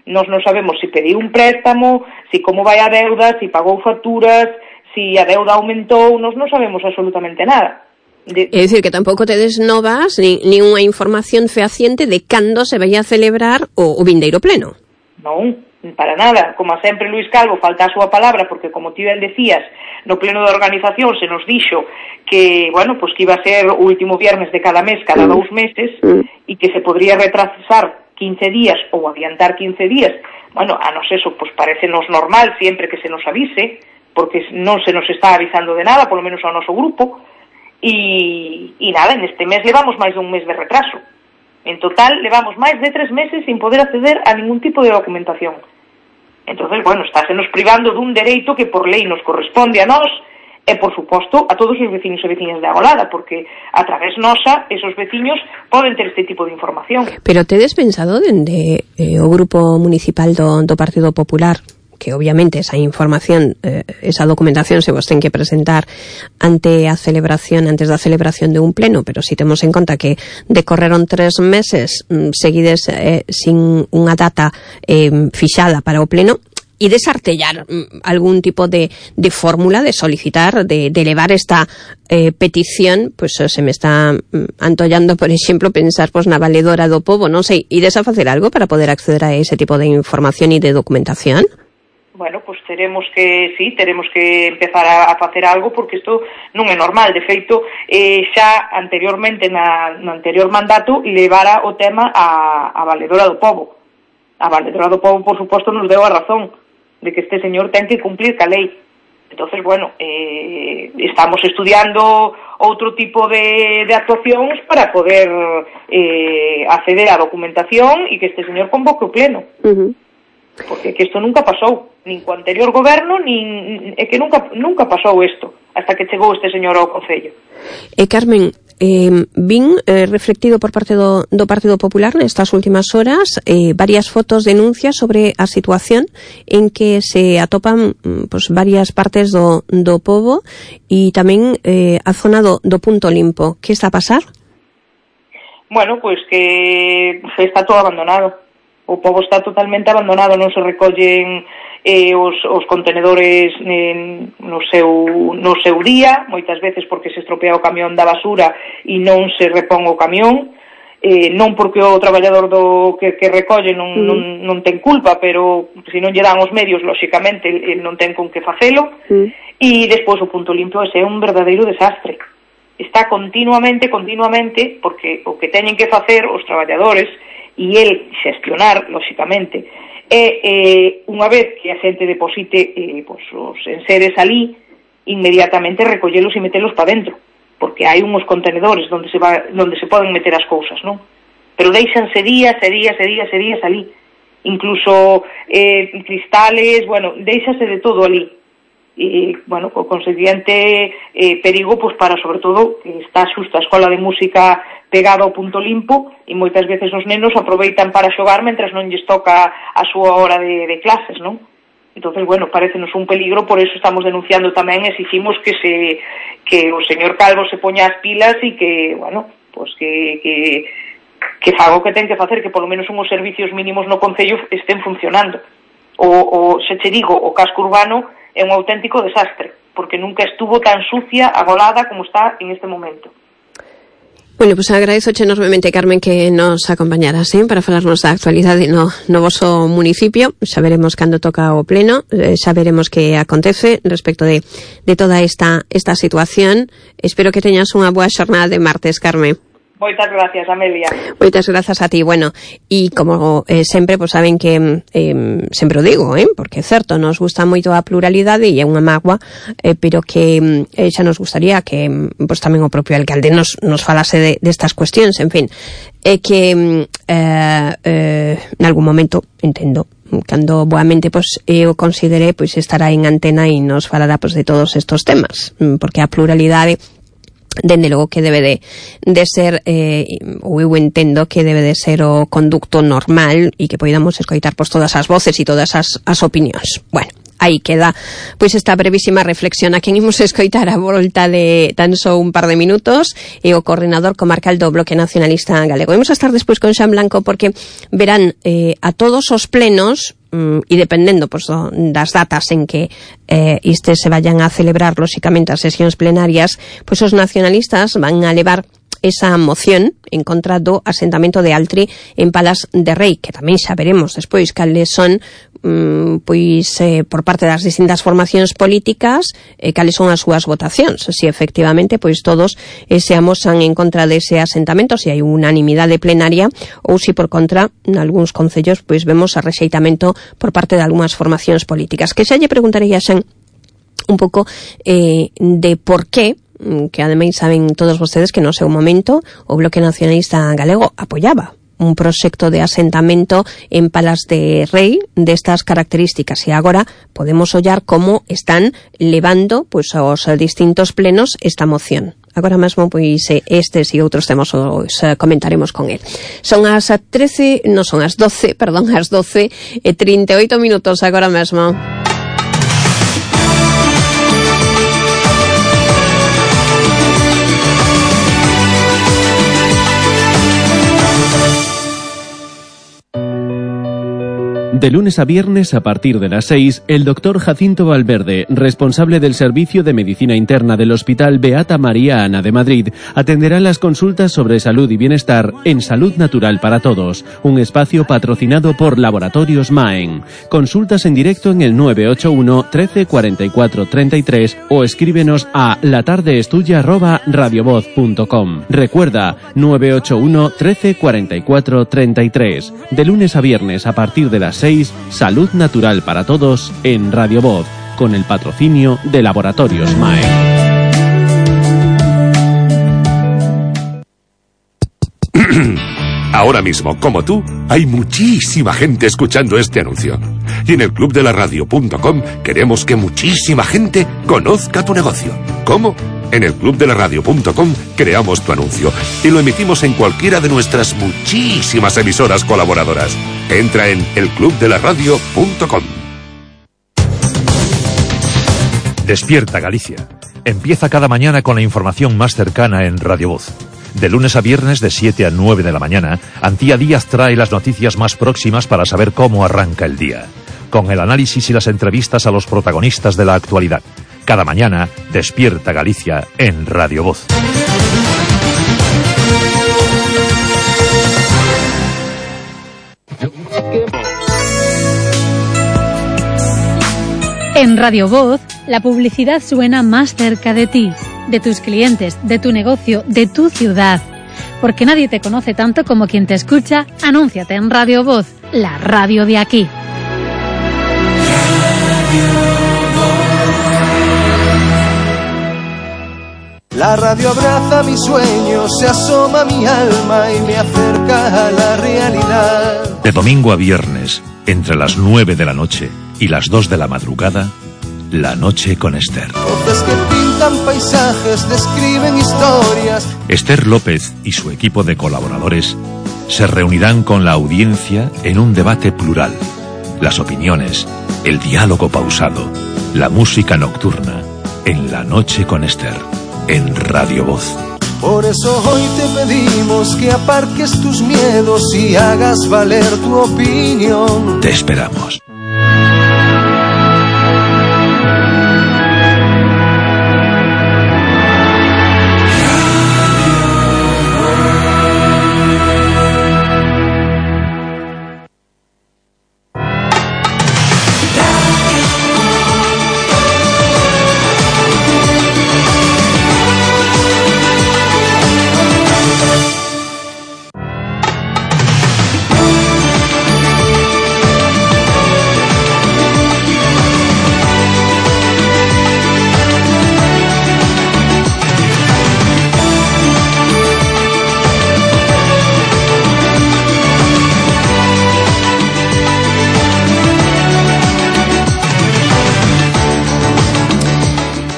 nós non sabemos se pediu un préstamo, se como vai a deuda, se pagou facturas, se a deuda aumentou, nós non sabemos absolutamente nada. De... É dicir, que tampouco tedes novas ni, ni unha información fehaciente de cando se vai a celebrar o, o vindeiro pleno. Non, para nada. Como sempre Luís Calvo falta a súa palabra, porque como ti ben decías, no pleno de organización se nos dixo que, bueno, pues que iba a ser o último viernes de cada mes, cada mm. dous meses, mm. e que se podría retrasar quince días ou adiantar quince días. Bueno, a nos eso, pues parecenos normal sempre que se nos avise, porque non se nos está avisando de nada, polo menos ao noso grupo, e, e nada, neste mes levamos máis dun mes de retraso. En total, levamos máis de tres meses sin poder acceder a ningún tipo de documentación. Entonces, bueno, estásenos privando dun dereito que por lei nos corresponde a nós, e, por suposto, a todos os veciños e veciñas de Agolada, porque a través nosa, esos veciños poden ter este tipo de información. Pero tedes pensado dende eh, o grupo municipal do, do Partido Popular que obviamente esa información, eh, esa documentación se vos ten que presentar ante a celebración, antes da celebración de un pleno, pero si temos en conta que decorreron tres meses mm, seguides eh, sin unha data eh, fixada para o pleno, e desartellar mm, algún tipo de, de fórmula de solicitar, de, de elevar esta eh, petición, pues se me está mm, antollando, por exemplo, pensar pues, na valedora do pobo, non sei, ides a facer algo para poder acceder a ese tipo de información e de documentación? bueno, pues teremos que, sí, teremos que empezar a, a facer algo, porque isto non é normal. De feito, eh, xa anteriormente, na, no anterior mandato, levara o tema a, a Valedora do Pobo. A Valedora do Pobo, por suposto, nos deu a razón de que este señor ten que cumplir ca lei. Entonces, bueno, eh, estamos estudiando outro tipo de, de actuacións para poder eh, acceder á documentación e que este señor convoque o pleno. Uh-huh. Porque que isto nunca pasou, nin co anterior goberno, nin é que nunca nunca pasou isto, hasta que chegou este señor ao Concello. E Carmen, eh, vin eh, reflectido por parte do, do Partido Popular nestas últimas horas eh, varias fotos, denuncias sobre a situación en que se atopan pues, varias partes do, do pobo e tamén eh, a zona do, do Punto Limpo. Que está a pasar? Bueno, pois pues que está todo abandonado. O pobo está totalmente abandonado, non se recollen eh, os, os contenedores en, no, seu, no seu día, moitas veces porque se estropea o camión da basura e non se repón o camión, eh, non porque o traballador do que, que recolle non, mm. non, non ten culpa, pero se non lle dan os medios, lóxicamente, el non ten con que facelo, mm. e despois o Punto Limpo é un verdadeiro desastre. Está continuamente, continuamente, porque o que teñen que facer os traballadores e el xestionar, lóxicamente, e eh, unha vez que a xente deposite eh, pues, os enseres ali, inmediatamente recollelos e metelos para dentro, porque hai uns contenedores onde se, va, onde se poden meter as cousas, non? Pero deixanse días e días e días e días ali, incluso eh, cristales, bueno, deixase de todo ali. E, bueno, co conseguinte eh, perigo, pois para, sobre todo, que está xusto a escola de música pegada ao Punto Limpo e moitas veces os nenos aproveitan para xogar mentras non lles toca a súa hora de, de clases, non? Entonces, bueno, parecenos un peligro, por eso estamos denunciando tamén, exigimos que se que o señor Calvo se poña as pilas e que, bueno, pues que que que faga o que ten que facer, que polo menos unhos servicios mínimos no concello estén funcionando. O, o se che digo, o casco urbano é un auténtico desastre, porque nunca estuvo tan sucia, agolada como está en este momento. Bueno, pues agradezoche enormemente, Carmen, que nos acompañaras, ¿eh? Para falarnos da actualidade no, no voso municipio. Xa veremos cando toca o pleno, eh, xa veremos que acontece respecto de, de toda esta, esta situación. Espero que teñas unha boa xornada de martes, Carmen. Moitas gracias, Amelia. Moitas grazas a ti. Bueno, e como eh, sempre, pues saben que eh, sempre o digo, eh, porque é certo, nos gusta moito a pluralidade e é unha mágoa, eh, pero que eh, xa nos gustaría que pues tamén o propio alcalde nos, nos falase de, destas cuestións, en fin, é eh, que eh, eh, en algún momento, entendo, cando boamente pues, eu consideré pues, estará en antena e nos falará pues, de todos estos temas, porque a pluralidade dende logo que debe de, de ser eh, ou eu entendo que debe de ser o conducto normal e que poidamos escoitar pois, todas as voces e todas as, as opinións. Bueno, aí queda pois esta brevísima reflexión a quen imos escoitar a volta de tan só un par de minutos e o coordinador comarcal do Bloque Nacionalista Galego. Imos a estar despois con Xan Blanco porque verán eh, a todos os plenos e dependendo pues, das datas en que eh, estes se vayan a celebrar lóxicamente as sesións plenarias, pois pues, os nacionalistas van a levar esa moción en contra do asentamento de Altri en Palas de Rei, que tamén xa veremos despois cales son mm, pois eh, por parte das distintas formacións políticas eh, cales son as súas votacións, se si efectivamente pois todos eh, se amosan en contra dese asentamento, se si hai unanimidade plenaria ou se si por contra en algúns concellos pois vemos a rexeitamento por parte de algunhas formacións políticas, que xa lle preguntarei a Xan un pouco eh, de por qué, que ademais saben todos vostedes que no seu momento o Bloque Nacionalista Galego apoiaba un proxecto de asentamento en Palas de Rei destas características e agora podemos ollar como están levando pois, aos distintos plenos esta moción. Agora mesmo, pois, estes e outros temas os comentaremos con el. Son as trece, non son as doce, perdón, as doce e trinta e oito minutos agora mesmo. De lunes a viernes, a partir de las seis, el doctor Jacinto Valverde, responsable del Servicio de Medicina Interna del Hospital Beata María Ana de Madrid, atenderá las consultas sobre salud y bienestar en Salud Natural para Todos, un espacio patrocinado por Laboratorios Maen. Consultas en directo en el nueve ocho uno, trece, cuarenta y cuatro, treinta y tres o escríbenos a latardeestuya arroba radiovoz punto com. Recuerda, nueve ocho uno, trece, cuarenta y cuatro, treinta y tres. De lunes a viernes, a partir de las seis, Salud Natural para Todos en Radio Voz, con el patrocinio de Laboratorios Maen. Ahora mismo, como tú, hay muchísima gente escuchando este anuncio. Y en el club de la radio punto com queremos que muchísima gente conozca tu negocio. ¿Cómo? En el club de la radio punto com creamos tu anuncio y lo emitimos en cualquiera de nuestras muchísimas emisoras colaboradoras. Entra en el club de la radio punto com. Despierta Galicia. Empieza cada mañana con la información más cercana en Radio Voz. De lunes a viernes de siete a nueve de la mañana, Antía Díaz trae las noticias más próximas para saber cómo arranca el día, con el análisis y las entrevistas a los protagonistas de la actualidad. Cada mañana, Despierta Galicia en Radio Voz. En Radio Voz, la publicidad suena más cerca de ti, de tus clientes, de tu negocio, de tu ciudad. Porque nadie te conoce tanto como quien te escucha, anúnciate en Radio Voz, la radio de aquí. La radio abraza mis sueños, se asoma a mi alma y me acerca a la realidad. De domingo a viernes, entre las nueve de la noche y las dos de la madrugada, La Noche con Esther. Voces que pintan paisajes, describen historias. Esther López y su equipo de colaboradores se reunirán con la audiencia en un debate plural. Las opiniones, el diálogo pausado, la música nocturna, en La Noche con Esther, en Radio Voz. Por eso hoy te pedimos que aparques tus miedos y hagas valer tu opinión. Te esperamos.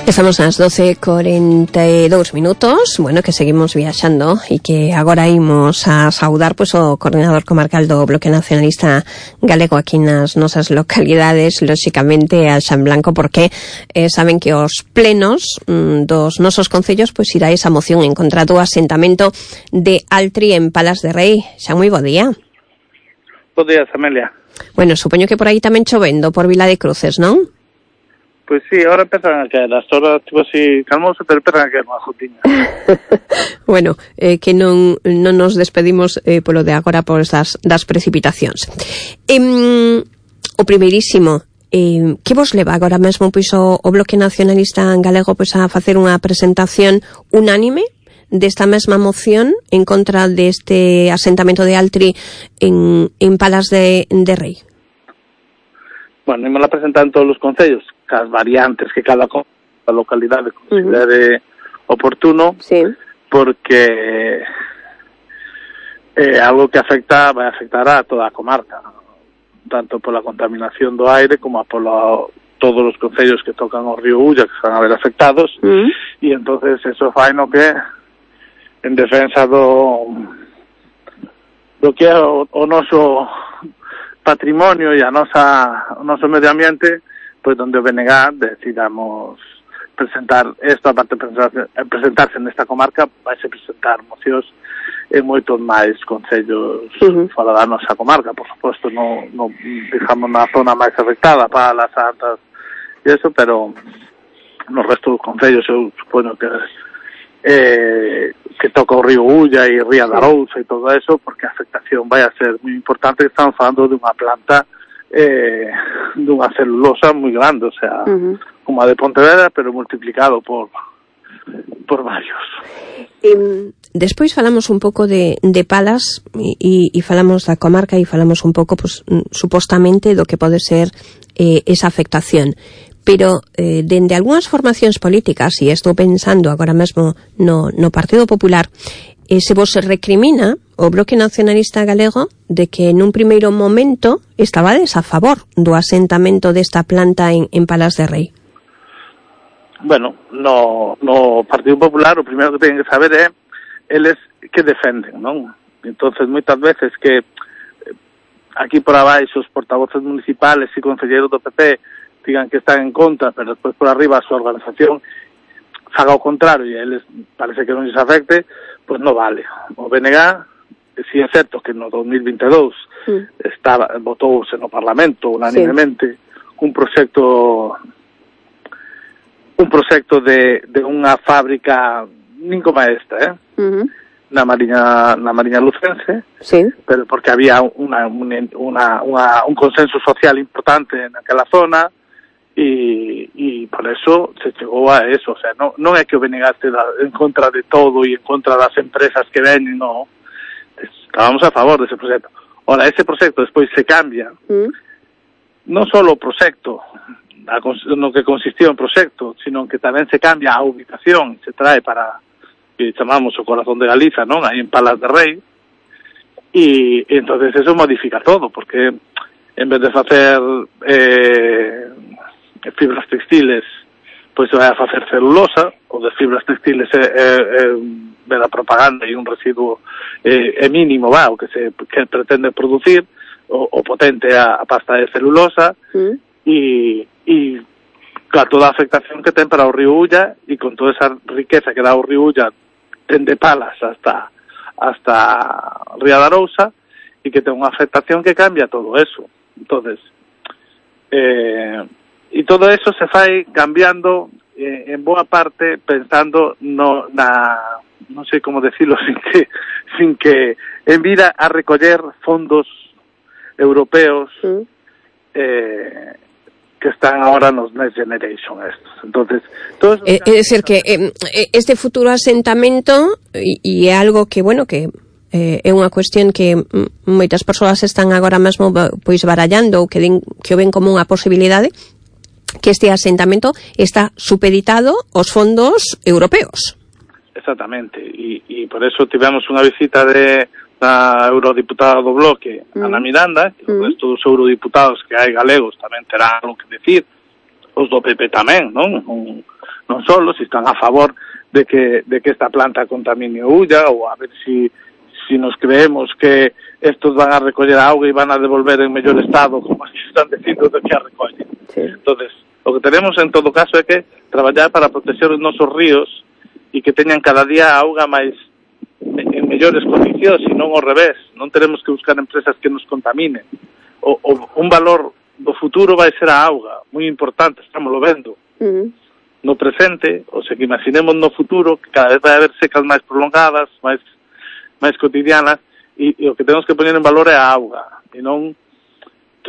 Estamos ás doce e cuarenta e dous minutos, bueno, que seguimos viaxando e que agora imos a saudar pois o coordinador comarcal do Bloque Nacionalista Galego aquí nas nosas localidades, lóxicamente a Xan Blanco, porque eh, saben que os plenos mm, dos nosos concellos pois irá esa moción en contra do asentamento de Altri en Palas de Rei. Xan, moi bo día. Bo día, Amelia. Bueno, supoño que por aí tamén chovendo por Vila de Cruces, non? Pois sí, ahora empezan a caer, as horas tipo así calmoso, pero empezan a caer unha gotiña. Bueno, eh, que non, non nos despedimos eh, polo de agora por das, das precipitacións. Eh, o primeirísimo, eh, que vos leva agora mesmo pois o, o Bloque Nacionalista Galego pois a facer unha presentación unánime desta mesma moción en contra deste asentamento de Altri en, en Palas de, de Rei? Bueno, imos a presentar en todos os concellos, cas variantes que cada localidade considere uh-huh. oportuno, sí. Porque é algo que afecta, vai afectar a toda a comarca, tanto pola contaminación do aire como polo todos os concellos que tocan o río Ulla que van a ver afectados, uh-huh. E entonces eso fai no que en defensa do do que é o, o noso patrimonio e a nosa o noso medio ambiente, pois donde o B N G decidamos presentar esto, aparte de presentarse, presentarse nesta comarca, vai se presentar mocións en moitos máis concellos uh-huh. fora da nosa comarca, por suposto, non, non digamos na zona máis afectada para las Santas e eso, pero no resto dos concellos eu supoño que eh, que toca o río Ulla e Ría da Arousa e todo eso, porque a afectación vai a ser moi importante. Estamos falando de unha planta eh, dunha celulosa moi grande, o sea, uh-huh. como a de Pontevedra, pero multiplicado por por varios. E, despois falamos un pouco de, de Palas e, e falamos da comarca e falamos un pouco, pues, supostamente, do que pode ser eh, esa afectación. Pero, eh, dende algunhas formacións políticas, e estou pensando agora mesmo no, no Partido Popular, eh, se vos recrimina o Bloque Nacionalista Galego de que nun primeiro momento estabades a favor do asentamento desta planta en, en Palas de Rei. Bueno, no, no Partido Popular o primeiro que teñen que saber é eles que defenden, non? Entonces, moitas veces que aquí por abaixo os portavoces municipales e concelleiros do P P digan que están en contra, pero despois por arriba a súa organización faga o contrario e eles parece que non lles afecte, pois non vale. O B N G, si é certo que no dos mil veintidós mm. estaba, votouse no Parlamento unanimemente sí. un proxecto un proxecto de, de unha fábrica nin como esta, eh? Uh-huh. na Mariña na Mariña Lucense, sí. pero porque había una, una, una, una, un consenso social importante naquela zona e, e por eso se chegou a eso, o sea, non, non é que o B N G este en contra de todo e en contra das empresas que ven, no, estábamos a favor dese proxecto. Ora, ese proxecto despois se cambia, uh-huh. non só o proxecto no que consistía o proxecto, sino que tamén se cambia a ubicación, se trae para que chamamos o corazón de Galiza, non? Aí en Palas de Rei, e, e entonces eso modifica todo, porque en vez de facer eh, fibras textiles, pois se vai a facer celulosa, ou de fibras textiles é, é, é de la propaganda e un residuo é, é mínimo, va, o que se que pretende producir, o, o potente a, a pasta de celulosa, mm. e e con toda a afectación que ten para o río Ulla e con toda esa riqueza que dá o río Ulla dende Palas hasta hasta Ría da Arousa e que ten unha afectación que cambia todo eso. Entonces, eh, e todo eso se fai cambiando eh, en boa parte pensando no, na, non sei como decirlo sin que, sin que en vida a recoller fondos europeos mm. eh, que están ahora nos Next Generation estos. Entonces, todo eso... É eh, decir que eh, este futuro asentamento e é algo que, bueno, que eh, é unha cuestión que moitas persoas están agora mesmo pois barallando ou que, den, que o ven como unha posibilidade, que este asentamento está supeditado aos fondos europeos. Exactamente, e, e por eso tivemos unha visita de da eurodiputada do Bloque, mm. Ana Miranda, que mm. o resto dos eurodiputados que hai galegos tamén terán algo que decir, os do P P tamén, non? Non, non solo, si están a favor de que de que esta planta contamine o Ulla, ou a ver si, si nos creemos que estos van a recoller a auga e van a devolver en mellor estado, como se están dicindo de que a recollen. Sí. Entonces, o que tenemos en todo caso é que traballar para proteger os nosos ríos e que teñan cada día a auga máis en mellores condicións e non ao revés. Non teremos que buscar empresas que nos contaminen. O, o, un valor do futuro vai ser a auga, moi importante, estamos lo vendo. Uh-huh. No presente, o sea, que imaginemos no futuro que cada vez vai haber secas máis prolongadas, máis máis cotidianas, e, e o que temos que poner en valor é a auga. E non,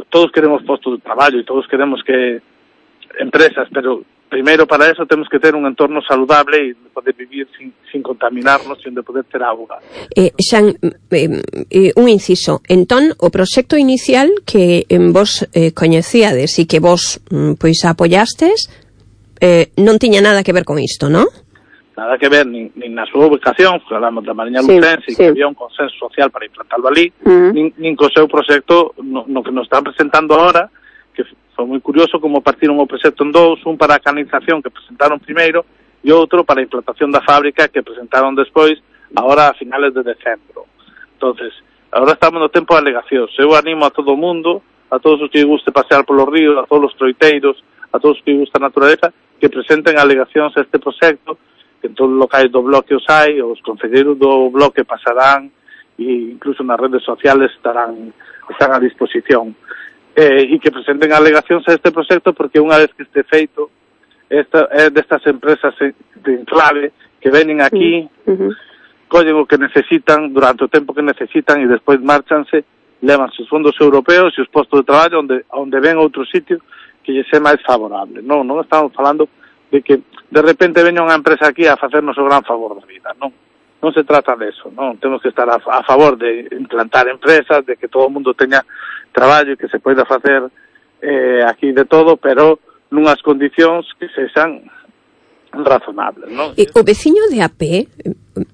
todos queremos postos de traballo e todos queremos que empresas, pero primeiro para eso temos que ter un entorno saludable e poder vivir sin, sin contaminarnos, sin de poder ter auga. Eh, Xan, eh, eh, un inciso. Entón, o proxecto inicial que en vos eh, coñecíades e que vos pois apoiastes eh, non tiña nada que ver con isto, non? Nada que ver, nin, nin na súa ubicación, falamos da Mariña Lucense, sí, sí. que había un consenso social para implantarlo ali, uh-huh. nin, nin co seu proxecto no, no que nos están presentando ahora, que foi moi curioso como partiron o proxecto en dous, un para a canalización que presentaron primeiro e outro para a implantación da fábrica que presentaron despois, agora a finales de decembro. Entonces, agora estamos no tempo de alegacións. Eu animo a todo o mundo, a todos os que guste pasear polos ríos, a todos os troiteiros, a todos os que gusta a naturaleza, que presenten alegacións a este proxecto, que en todos os locais do bloque os hai, os concelleiros do bloque pasarán e incluso nas redes sociales estarán están a disposición. Eh, e que presenten alegacións a este proxecto, porque unha vez que este feito, esta é destas empresas de enclave que venen aquí, uh-huh. collen o que necesitan durante o tempo que necesitan e despois marchanse, levan os fondos europeos e os postos de traballo onde, onde ven outro sitio que lle é máis favorable. Non, non estamos falando de que de repente veña unha empresa aquí a facernos o gran favor da vida, non. Non se trata de eso, non. Temos que estar a, a favor de implantar empresas, de que todo o mundo teña traballo e que se poida facer eh, aquí de todo, pero nunhas condicións que sexan razonables, non? E o veciño de a pé,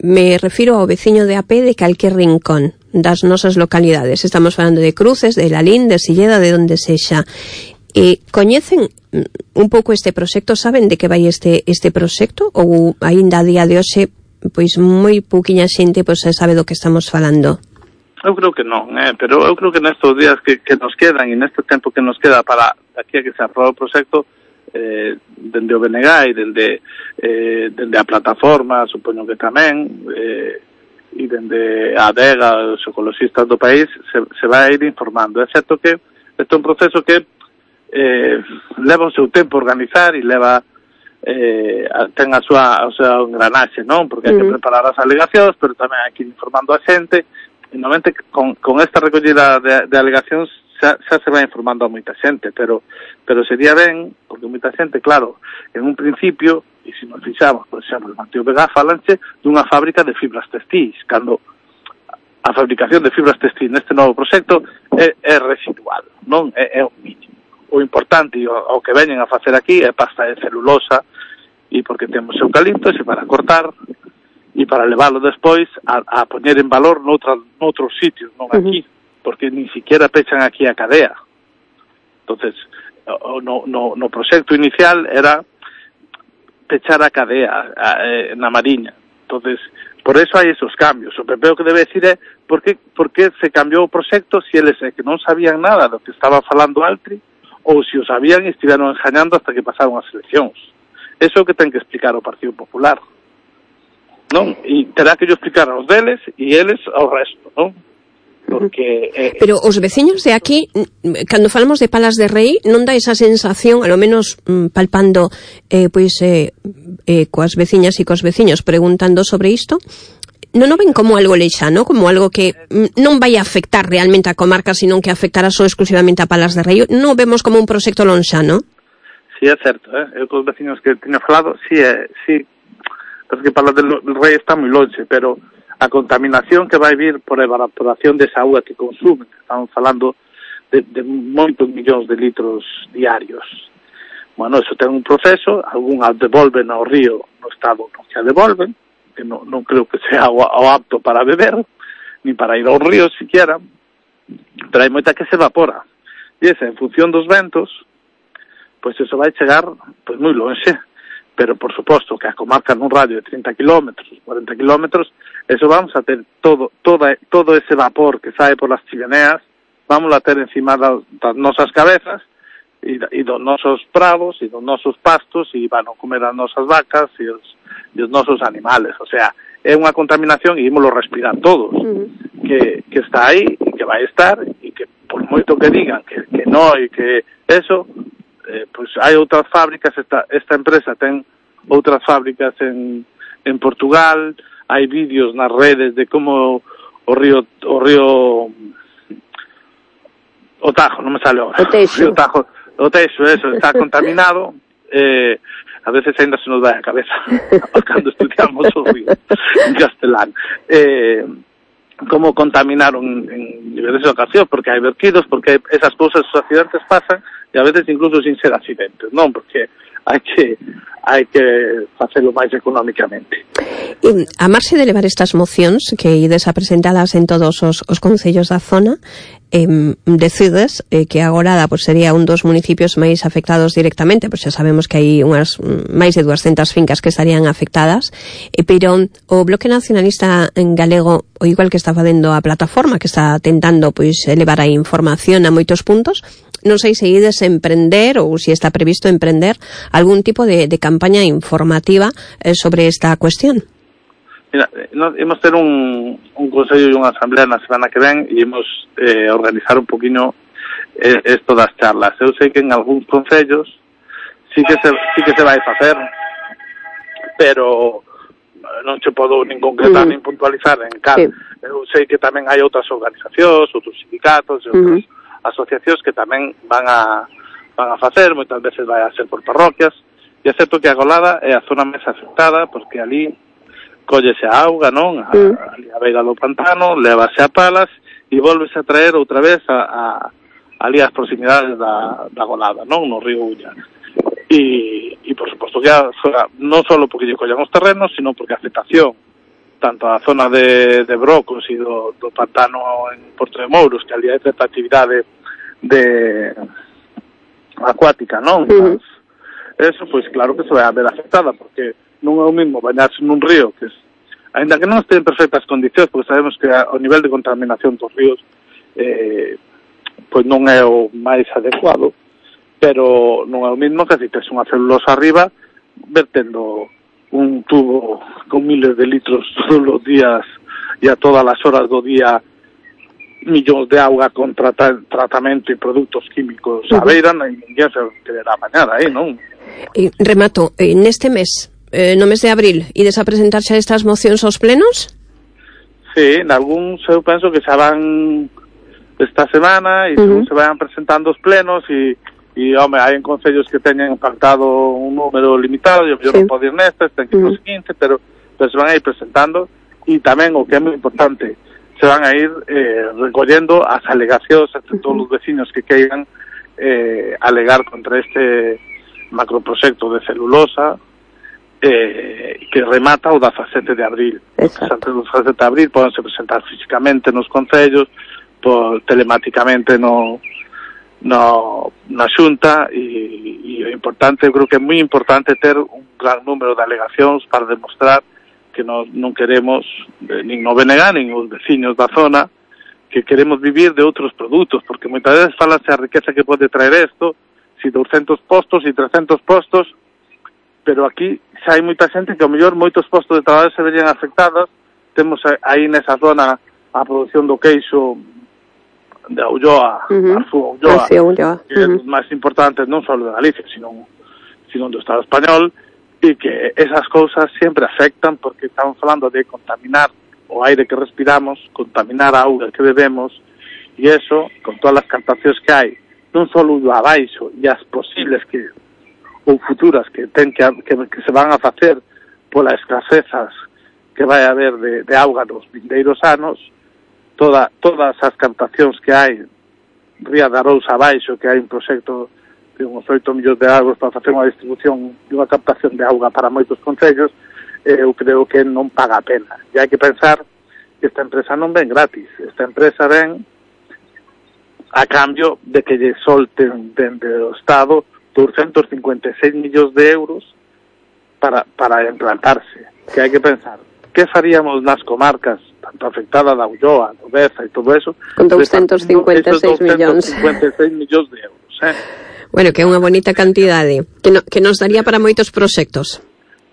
me refiro ao veciño de a pé de calquer rincón das nosas localidades. Estamos falando de Cruces, de Lalín, de Silleda, de onde sexa. E coñecen un pouco este proxecto, saben de que vai este este proxecto, ou aínda a día de hoxe pois moi pouquiña xente pois sabe do que estamos falando? Eu creo que non, eh, pero eu creo que nestes días que, que nos quedan e neste tempo que nos queda para aquí a que se aprobe o proxecto, eh, dende o B N G e dende, eh, dende a plataforma, supoño que tamén, eh, e dende a adega, os ecologistas do país, se, se vai ir informando. É certo que este é un proceso que eh, leva o seu tempo a organizar e leva eh, ten a súa, o seu engranaxe, non? Porque hai que preparar as alegacións, pero tamén hai que ir informando a xente, e normalmente con, con esta recollida de, de alegacións xa, xa se vai informando a moita xente, pero pero sería ben, porque moita xente, claro, en un principio, e se nos fixamos, por exemplo, en Mateo Vega, falanse dunha fábrica de fibras textiles, cando a fabricación de fibras textiles neste novo proxecto é, é residual, non? É, é o mínimo. O importante o, o que veñen a facer aquí é pasta de celulosa, e porque temos eucaliptos e para cortar e para leválo despois a, a poñer en valor noutra, noutros sitios, non aquí, uh-huh. porque ni siquiera pechan aquí a cadea. Entonces, no, no, no proxecto inicial era pechar a cadea a, a, na Mariña. Entonces, por eso hai esos cambios. O P P o que debe decir é por que, por que se cambiou o proxecto se eles é que non sabían nada do que estaba falando Altri, ou se o sabían e estiveron engañando hasta que pasaron as eleccións. Eso é o que ten que explicar o Partido Popular, non? E terá que yo explicar aos deles e eles ao resto, non? Porque eh, pero os veciños de aquí, cando falamos de Palas de Rei, non dá esa sensación, a lo menos mm, palpando eh, pois eh, eh, coas veciñas e cos veciños preguntando sobre isto, non o ven como algo leixano, como algo que non vai a afectar realmente a comarca, sino que afectará só exclusivamente a Palas de Rei? Non vemos como un proxecto lonxano? Sí, é certo, eh? Eu cos veciños que teño falado, sí, é, sí, porque Palas del Rei está moi longe, pero a contaminación que vai vir por a evaporación desa auga que consumen, estamos falando de, de moitos millóns de litros diarios. Bueno, eso ten un proceso, algún a devolven ao río no estado no que a devolven, que non, non creo que sea o, o apto para beber, ni para ir ao río siquiera, pero hai moita que se evapora. E esa, en función dos ventos, pois eso vai chegar pois moi longe, pero por suposto que a comarca nun radio de trinta kilómetros, cuarenta kilómetros, eso vamos a ter todo toda, todo ese vapor que sae por las chimeneas, vamos a ter encima das, das nosas cabezas e, e dos nosos prados e dos nosos pastos e van a comer as nosas vacas e os, e os nosos animales. O sea, é unha contaminación e ímolo respirar todos, uh-huh. que, que está aí e que vai estar e que por moito que digan que, que non e que eso, eh, pues hai outras fábricas, esta, esta empresa ten outras fábricas en, en Portugal, hai vídeos nas redes de como o río o río o Tajo, non me sale ahora, o Teixo, o Tajo, o Teixo, eso, está contaminado, eh, a veces ainda se nos vai a cabeza cando estudiamos o río en castelán, eh, como contaminaron en diversas ocasiones, porque hai verquidos, porque hai esas cousas, os accidentes pasan, e a veces incluso sin ser accidentes, non? Porque hai que hai que facelo máis económicamente. E, a marxe de levar estas mocións que ides a presentadas en todos os, os concellos da zona, eh, decides eh, que agora pues, sería un dos municipios máis afectados directamente, pois pues xa sabemos que hai unhas máis de duascentas fincas que estarían afectadas, eh, pero o Bloque Nacionalista en galego, o igual que está facendo a plataforma, que está tentando pois elevar a información a moitos puntos, non sei se ides emprender ou se está previsto emprender algún tipo de, de campaña informativa eh, sobre esta cuestión. Mira, nos, imos ter un, un consello e unha asamblea na semana que ven e imos eh, organizar un poquinho eh, esto das charlas. Eu sei que en algúns concellos sí que se, sí que se vai facer, pero non che podo nin concretar uh-huh. nin puntualizar en cal. Sí. Eu sei que tamén hai outras organizacións, outros sindicatos e outras uh-huh. asociacións que tamén van a van a facer, moitas veces vai a ser por parroquias, e é certo que a Golada é a zona máis afectada, porque ali collese a auga, non? A, uh-huh. ali a beira do pantano, levase a palas e volvese a traer outra vez a, a ali as proximidades da, da Golada, non? No río Ulla. E, e por suposto que a, non só porque lle collan os terrenos, sino porque a afectación tanto a zona de, de Brocos e do, do pantano en Porto de Mouros, que ali hai certa actividade de acuática, non? Uh-huh. Eso, pois claro que se vai a ver afectada, porque non é o mismo bañarse nun río, que es, ainda que non este en perfectas condicións, porque sabemos que o nivel de contaminación dos ríos eh, pois non é o máis adecuado, pero non é o mismo que si tes unha celulosa arriba vertendo un tubo con miles de litros todos os días e a todas as horas do día millóns de auga con trata, tratamento e produtos químicos uh-huh. a beira, e ninguén se quererá bañar aí, non? E remato, neste mes, eh, no mes de abril, ides a presentarse estas mocións aos plenos? Sí, en algún eu penso que xa van esta semana e uh-huh. se vayan presentando os plenos e E, home, hai en concellos que teñen pactado un número limitado, eu, eu sí. non podo ir nestas, ten que ir uh-huh. os quince, pero, pero se van a ir presentando, e tamén, o que é moi importante, se van a ir eh, recollendo as alegacións entre uh-huh. todos os vecinos que queiran eh, alegar contra este macroproxecto de celulosa eh, que remata o dezasete de abril. Antes do dezasete de abril podense presentar físicamente nos concellos, por, telemáticamente no... no na xunta e, e o importante, eu creo que é moi importante ter un gran número de alegacións para demostrar que nos non queremos eh, nin no B N G nin os veciños da zona, que queremos vivir de outros produtos, porque moitas veces falase a riqueza que pode traer isto, si douscentos postos e trescentos postos, pero aquí xa hai moita xente que ao mellor moitos postos de traballo se verían afectados. Temos aí nesa zona a produción do queixo de Ulloa, uh-huh. Arfú Ulloa, Ulloa, que uh-huh. é dos máis importantes non só de Galicia, sino, sino do Estado español, e que esas cousas sempre afectan, porque estamos falando de contaminar o aire que respiramos, contaminar a auga que bebemos, e eso, con todas as captacións que hai, non só o abaixo, e as posibles que ou futuras que ten que, que, que se van a facer polas escasezas que vai haber de, de auga nos vindeiros anos, Toda, todas as captacións que hai Ría da Rousa abaixo, que hai un proxecto de uns oito millóns de euros para facer unha distribución de unha captación de auga para moitos concellos, eh, eu creo que non paga a pena. E hai que pensar que esta empresa non ven gratis, esta empresa ven a cambio de que lle solten dende o Estado doscientos cincuenta e seis millóns de euros para, para implantarse. Que hai que pensar, que faríamos nas comarcas tanto afectada da Ulloa, do Beza e todo eso, con doscientos cincuenta e seis millóns. doscientos cincuenta e seis millóns de euros, eh? Bueno, que é unha bonita cantidade, que, no, que nos daría para moitos proxectos.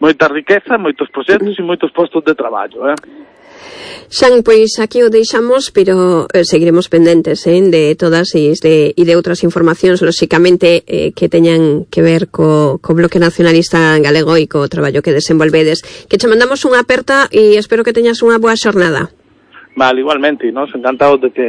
Moita riqueza, moitos proxectos e moitos postos de traballo, eh? Xan, pois aquí o deixamos, pero eh, seguiremos pendentes eh, de todas e de, e de outras informacións, lóxicamente, eh, que teñan que ver co, co Bloque Nacionalista Galego e co traballo que desenvolvedes. Que che mandamos unha aperta e espero que teñas unha boa xornada. Vale, igualmente, nos encantados de que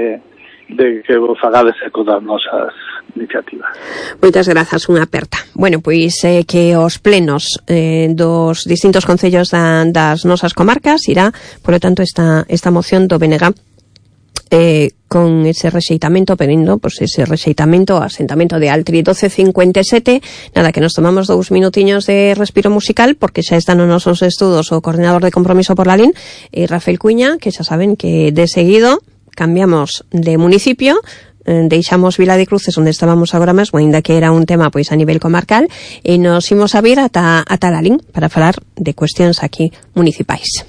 de que vos fagades eco das nosas iniciativas. Moitas grazas, unha aperta. Bueno, pois eh, que os plenos eh, dos distintos concellos da, das nosas comarcas irá, polo tanto, esta, esta moción do B N G eh, con ese rexeitamento, pedindo pues, ese rexeitamento ao asentamento de Altri doce cincuenta e sete. Nada, que nos tomamos dous minutiños de respiro musical, porque xa están nos nosos estudos o coordinador de Compromiso por la L I N, eh, Rafael Cuña, que xa saben que de seguido cambiamos de municipio, eh, deixamos Vila de Cruces onde estábamos agora mesmo, ainda que era un tema pois a nivel comarcal, e nos imos a vir ata, ata la L I N para falar de cuestións aquí municipais.